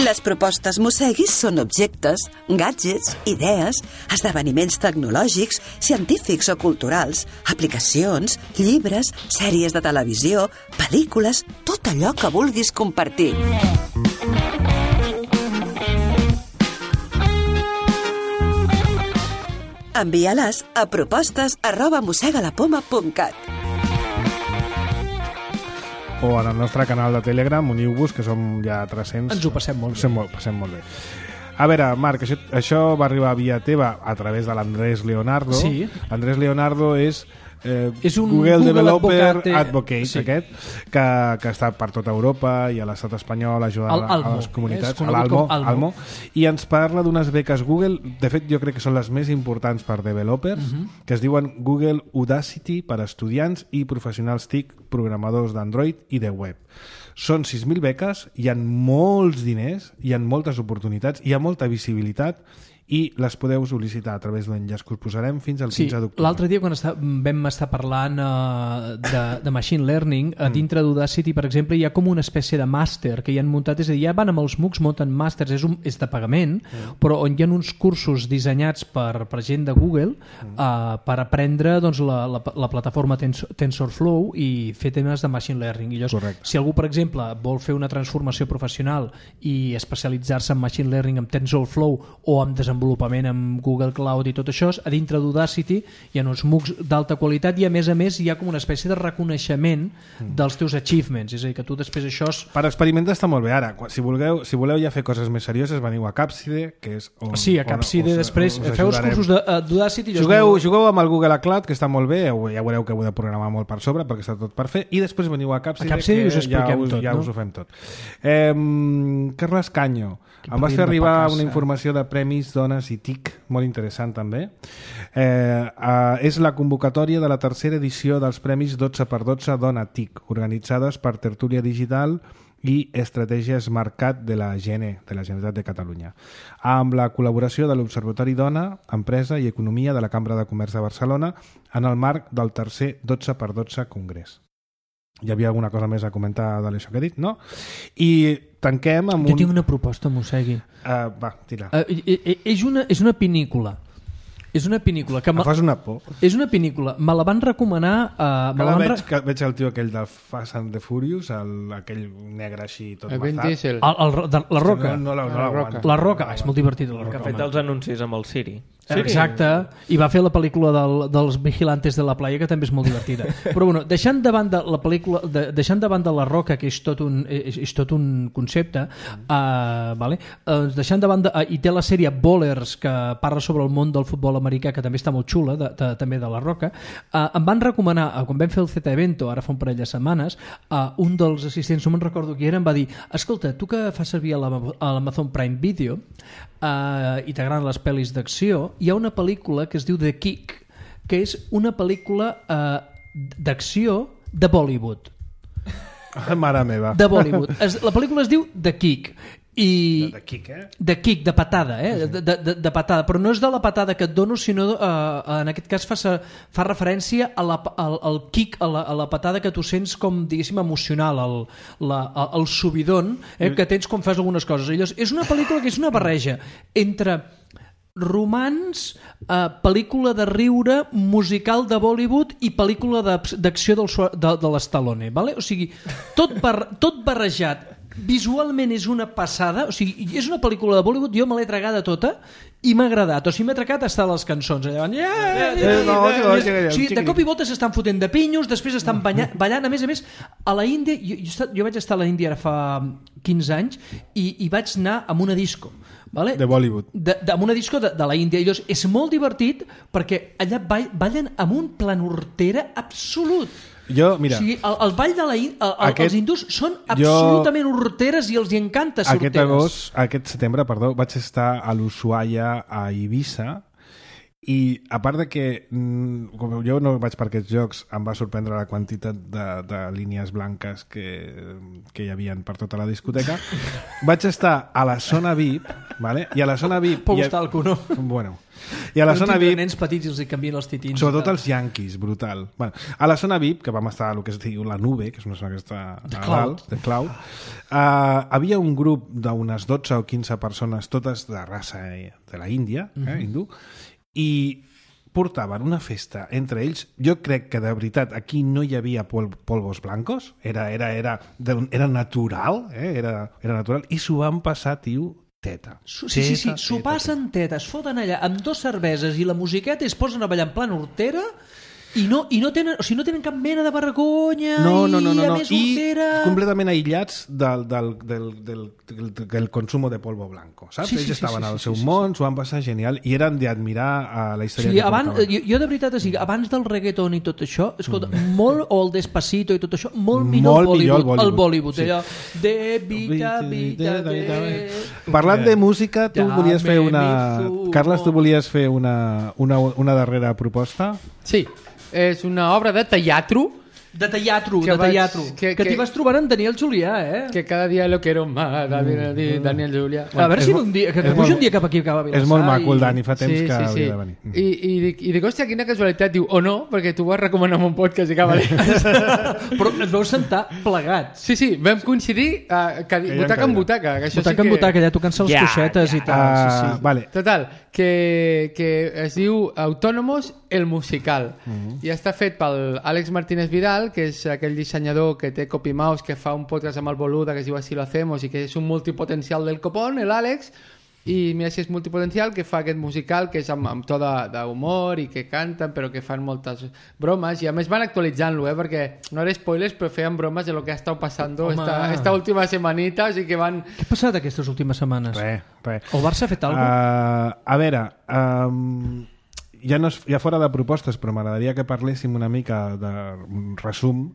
Les propostes Mosseguis són objectes, gadgets, idees, esdeveniments tecnològics, científics o culturals, aplicacions, llibres, sèries de televisió, pel·lícules, tot allò que vulguis compartir. Envia-les a propostes arroba mossegalapoma punt cat. o en el nostre canal de Telegram, uniu-vos, que som ja tres-cents. Ens ho passem molt bé. Passem molt, passem molt bé. A veure, Marc, això, això va arribar via teva a través de l'Andrés Leonardo. Sí. L'Andrés Leonardo és... Eh, és un Google, Google Developer Advocate, Advocate, sí. aquest, que, que està per tota Europa i a l'estat espanyol ajudant El a, Almo, a les comunitats, és conegut l'Almo, com Almo. Almo, i ens parla d'unes beques Google, de fet jo crec que són les més importants per developers, uh -huh. que es diuen Google Udacity per a estudiants i professionals T I C, programadors d'Android i de web. Són sis mil beques, hi ha molts diners, hi ha moltes oportunitats, hi ha molta visibilitat i les podeu sol·licitar a través d'un enllaç que us posarem fins al Sí, quinze d'octubre. l'altre dia quan està, vam estar parlant uh, de, de Machine Learning, a dintre d'Udacity, per exemple, hi ha com una espècie de màster que hi han muntat, és a dir, ja van amb els MOOCs, munten màsters, és, un, és de pagament, mm. però on hi ha uns cursos dissenyats per, per gent de Google mm. uh, per aprendre doncs, la, la, la plataforma Tens, TensorFlow i fer temes de Machine Learning. I llavors, Correcte. si algú, per exemple, vol fer una transformació professional i especialitzar-se en Machine Learning, amb TensorFlow o amb desenvolupament desenvolupament amb Google Cloud i tot això, a dintre d'Udacity hi ha uns MOOCs d'alta qualitat i a més a més hi ha com una espècie de reconeixement mm. dels teus achievements, és a dir, que tu després això és... Per experimentar està molt bé. Ara, si voleu, si voleu ja fer coses més serioses, veniu a Capside, que és on... Sí, a Capside, després us feu els cursos d'Udacity... Jugueu, jugueu amb el Google Cloud, que està molt bé, ja veureu que heu de programar molt per sobre, perquè està tot per fer, i després veniu a Capside, a Capside que us ja, us, tot, ja no? us ho fem tot. Eh, Carles Canyo, em vas fer arribar una informació de premis Dones i T I C, molt interessant també. Eh, eh, és la convocatòria de la tercera edició dels premis dotze per dotze Dona T I C, organitzades per Tertúlia Digital i Estratègies Mercat de la G N E, de la Generalitat de Catalunya, amb la col·laboració de l'Observatori Dona, Empresa i Economia de la Cambra de Comerç de Barcelona en el marc del tercer dotze per dotze Congrés. Hi havia alguna cosa més a comentar de l'això que he dit, no? I tanquem amb jo un... tinc una proposta, Mossegui. Uh, va, tira. Uh, és, una, és una pinícula. És una pinícula que... Em fas una por. És una pinícula. Me la van recomanar... Uh, me la van veig, re... que veig el tio aquell de Fast and the Furious, el, aquell negre així tot El Vin mazat. Diesel. El, el, de, la Roca. No, no, no, no La l'aguanto. La Roca. Ah, és molt divertit, la Que Roca. ha fet home. els anuncis amb el Siri. Sí. Exacte, i va fer la pel·lícula del, dels Vigilantes de la Playa, que també és molt divertida. Però bueno, deixant de banda la pel·lícula, de, deixant de banda la Roca, que és tot un, és, és tot un concepte, uh, vale? uh, deixant de banda, uh, i té la sèrie Bowlers, que parla sobre el món del futbol americà, que també està molt xula, de, de, també de la Roca, uh, em van recomanar, uh, quan vam fer el Z-Evento, ara fa un parell de setmanes, uh, un dels assistents, no me'n recordo qui era, em va dir, escolta, tu que fas servir a l'Amazon Prime Video uh, i t'agraden les pel·lis d'acció, hi ha una pel·lícula que es diu The Kick, que és una pel·lícula uh, d'acció de Bollywood. Ah, mare meva. De Bollywood. Es, la pel·lícula es diu The Kick. I De Kick, eh? de kick, de patada, eh? de, de, de patada, però no és de la patada que et dono, sinó uh, en aquest cas fa, fa referència a la, al, al kick, a la, a la patada que tu sents com, diguéssim, emocional, el, la, el subidon eh, que tens quan fas algunes coses. Llavors, és una pel·lícula que és una barreja entre romans, eh, pel·lícula de riure, musical de Bollywood i pel·lícula d'acció del, de, de l'Stallone, vale? O sigui, tot, bar, tot barrejat. Visualment és una passada, o sigui, és una pel·lícula de Bollywood, jo me l'he tragada tota i m'ha agradat, o sigui, m'he tragat hasta les cançons allà, yeah, yeah, yeah. O sigui, de cop i volta s'estan fotent de pinyos, després estan ballant, ballant, a més a més a la Índia, jo, jo, jo vaig estar a la Índia ara fa quinze anys i, i vaig anar amb una disco, vale? De Bollywood, de, de, amb una disco de, de la Índia, i llavors és molt divertit perquè allà ballen amb un planurtera absolut. Jo, mira, o sigui, el, el ball de la el, el, aquest, els hindús són absolutament jo, horteres i els hi encanta ser aquest horteres. agost, aquest setembre, perdó, vaig estar a l'Ushuaia, a Eivissa, i a part de que com jo no vaig per aquests jocs, em va sorprendre la quantitat de, de línies blanques que, que hi havia per tota la discoteca, vaig estar a la zona V I P, vale? I a la zona V I P Pou ha... estar al cuno. Bueno, i a la zona V I P, nens petits els hi canvien els titins, sobretot els yanquis, brutal. Bueno, a la zona V I P, que vam estar a lo que es diu la nube, que és una zona que està a dalt, de cloud, uh, havia un grup d'unes dotze o quinze persones, totes de raça de la Índia, eh, uh-huh. hindú, i portaven una festa entre ells. Jo crec que de veritat aquí no hi havia pol polvos blancos, era, era, era, era natural, eh? era, era natural, i s'ho van passar, tio, teta. Sí, sí, sí, s'ho passen teta, es foten allà amb dos cerveses i la musiqueta i es posen a ballar en plan hortera I no, i no, tenen, o sigui, no tenen cap mena de vergonya No, no, no, no, i a no. més I hortera... completament aïllats del, del, del, del, del, del consumo de polvo blanco, saps? Sí, sí, Ells sí, estaven sí, al sí, seu sí, sí, món, s'ho van passar genial i eren d'admirar a la història Sí, que abans, portaven. jo, jo de veritat, o sigui, abans del reggaeton i tot això, escolta, mm. molt, o el Despacito i tot això, molt millor, Molt el, millor Bollywood, el el Bollywood, Bollywood, sí. allò de vita, vita, de... Parlant de música, tu Ja volies fer me una... mizo. Carles, tu volies fer una, una, una darrera proposta? Sí, és una obra de teatro De teatro, Que de vaig- teatro. que- Que, que- t'hi vas trobar en Daniel Julià, eh? que cada dia lo quiero más, Daniel, Daniel Julià. A veure és si mo- un dia, que, és que puja molt- un dia cap aquí, cap a Vilassar. És molt maco, el i- Dani, fa temps Sí, que sí, sí. hauria de venir. I, i, dic, i dic, hòstia, quina casualitat, diu, o no, perquè tu vas recomanar un podcast i acaba de... Però ens vau sentar plegats. Sí, sí, vam coincidir uh, que, hi ha butaca en cadira. butaca. Que això Butaca sí en que... butaca, ja tocant-se les Ja, coixetes ja. i tal. Ah, Sí, sí. Vale. Total, que, que es diu Autónomos el musical Mhm. i està fet pel Àlex Martínez Vidal, que és aquell dissenyador que té Copy Mouse, que fa un podcast amb el Boluda que es diu Así lo hacemos i que és un multipotencial del copón, el Àlex, i mira si és multipotencial, que fa aquest musical que és amb, amb to de- d'humor i que canten però que fan moltes bromes i a més van actualitzant-lo, eh, perquè no era spoilers però feien bromes de lo que ha estat passant Home. esta, esta última semanita, així que van... Què ha passat aquestes últimes setmanes? Res, res. El Barça ha fet alguna cosa? Uh, a veure, um, ja, no és, ja fora de propostes, però m'agradaria que parléssim una mica de un resum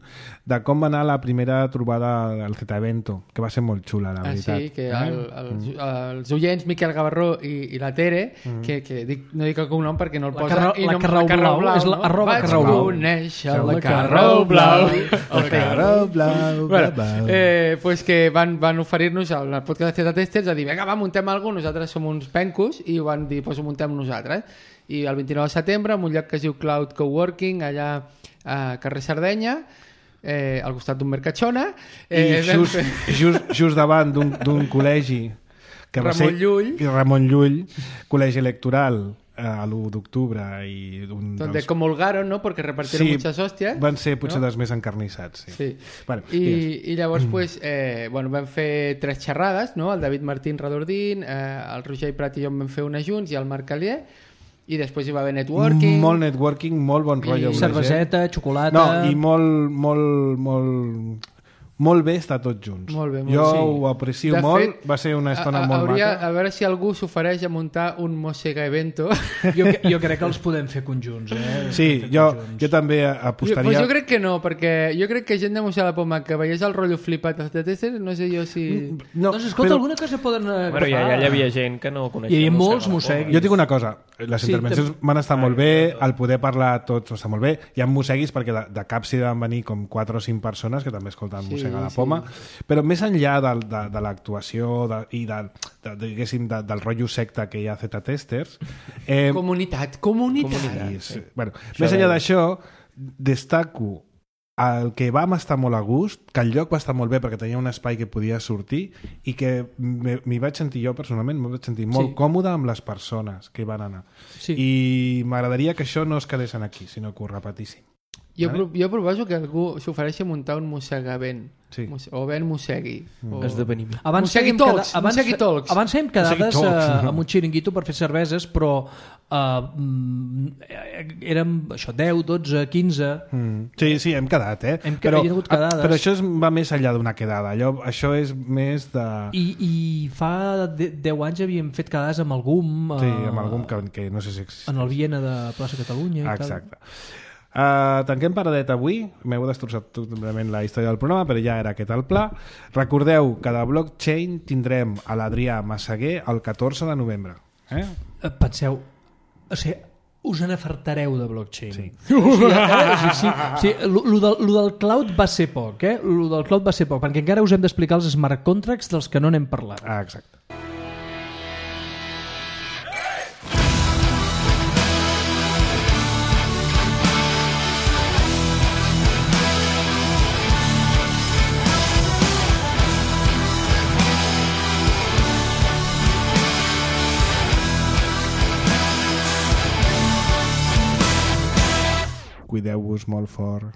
de com va anar la primera trobada del Z-Evento, que va ser molt xula, la Ah, veritat. sí, que el, el, els oients Miquel Gavarró i, i la Tere, Mm. que, que dic, no dic el cognom perquè no el La posa... Carrau- i la no, Carrau Blau, és la arroba Vaig Carrau Blau. conèixer La la Carrau Blau. El Carrau Blau, Bueno, blau. eh, pues que van, van oferir-nos al al podcast de Z Testers a dir, vinga, va, muntem alguna cosa, nosaltres som uns pencos, i van dir, pues ho muntem nosaltres. I el vint-i-nou de setembre, en un lloc que es diu Cloud Coworking, allà a carrer Sardenya, eh, al costat d'un Mercatxona. I Eh, vam just, fer- just, just davant d'un d'un col·legi que va Ramon ser Llull. i Ramon Llull, col·legi electoral eh, a l'u d'octubre i un donde dels... comulgaron, ¿no? Porque repartieron Sí, muchas hostias. van ser potser no? dels més encarnissats. Sí. Sí. Bueno, digues. I, i llavors pues, eh, bueno, vam fer tres xerrades, no? El David Martín Radordín, eh, el Roger Prat i jo en vam fer una junts i el Marc Calier, i després hi va haver networking. Molt networking, molt bon rotllo amb la gent. Cerveseta, xocolata... No, i molt, molt, molt, molt bé estar tots junts. Molt bé, molt jo sí. ho aprecio De molt, fet, va ser una estona a, a, molt hauria, maca. a veure si algú s'ofereix a muntar un Mosega Evento. Jo, jo crec que els podem fer conjunts, eh? Sí, Fer jo, conjunts. jo també Jo, apostaria... pues jo crec que no, perquè jo crec que gent de Museu de la Poma que veiés el rotllo flipat de Tester, no sé jo si... No, Doncs escolta, però alguna cosa poden agafar. Bueno, ja, ja hi havia gent que no coneixia. Hi havia Mossega molts la Poma. mosseguis. jo dic una cosa, les Sí, intervencions també- van estar molt bé, el poder parlar tots està molt bé, hi ha mosseguis perquè de, de cap s'hi van venir com quatre o cinc persones que també escolten Sí, Mossega la sí. Poma, però més enllà de, de, de l'actuació de, i de, de, diguéssim, de, del rotllo secta que hi ha a Z-Testers, eh, Comunitat, comunitat. Sí, sí. Bueno, més enllà d'això, destaco el que vam estar molt a gust, que el lloc va estar molt bé perquè tenia un espai que podia sortir i que me- m'hi vaig sentir jo personalment, m'hi vaig sentir molt Sí. còmode amb les persones que hi van anar. Sí. I m'agradaria que això no es quedés aquí, sinó que ho repetíssim. Jo, Vale. pro- jo proposo que algú s'ofereixi a muntar un mossegavent. Sí. Mos- o ben mossegui. O... Esdeveniment. Abans Mossegui fèiem Talks, cada- abans, Mossegui Talks. abans fèiem quedades Mossegui Talks, eh, no. amb un xiringuito per fer cerveses, però eh, mm, eh, érem això, deu, dotze, quinze... Mm. Sí, sí, hem quedat, eh? Hem que- hi ha hagut quedades. Però això és, va més enllà d'una quedada. Allò, això és més de... I, i fa de, deu anys havíem fet quedades amb algú Sí, amb algun que, que no sé si existeix. en el Viena de Plaça Catalunya i Exacte. Uh, tanquem paradet avui. M'heu destrossat totalment la història del programa, però ja era aquest el pla. Recordeu que de Blockchain tindrem a l'Adrià Massaguer el catorze de novembre. Eh? tal. Penseu, o sigui, us n'afartareu de blockchain. Sí. O sigui, eh, sí, sí, sí, lo, lo, del, lo del cloud va ser poc, eh? Lo del cloud va ser poc, perquè encara us hem d'explicar els smart contracts dels que no n'hem parlat. Ah, exacte. Cuideu-vos molt fort.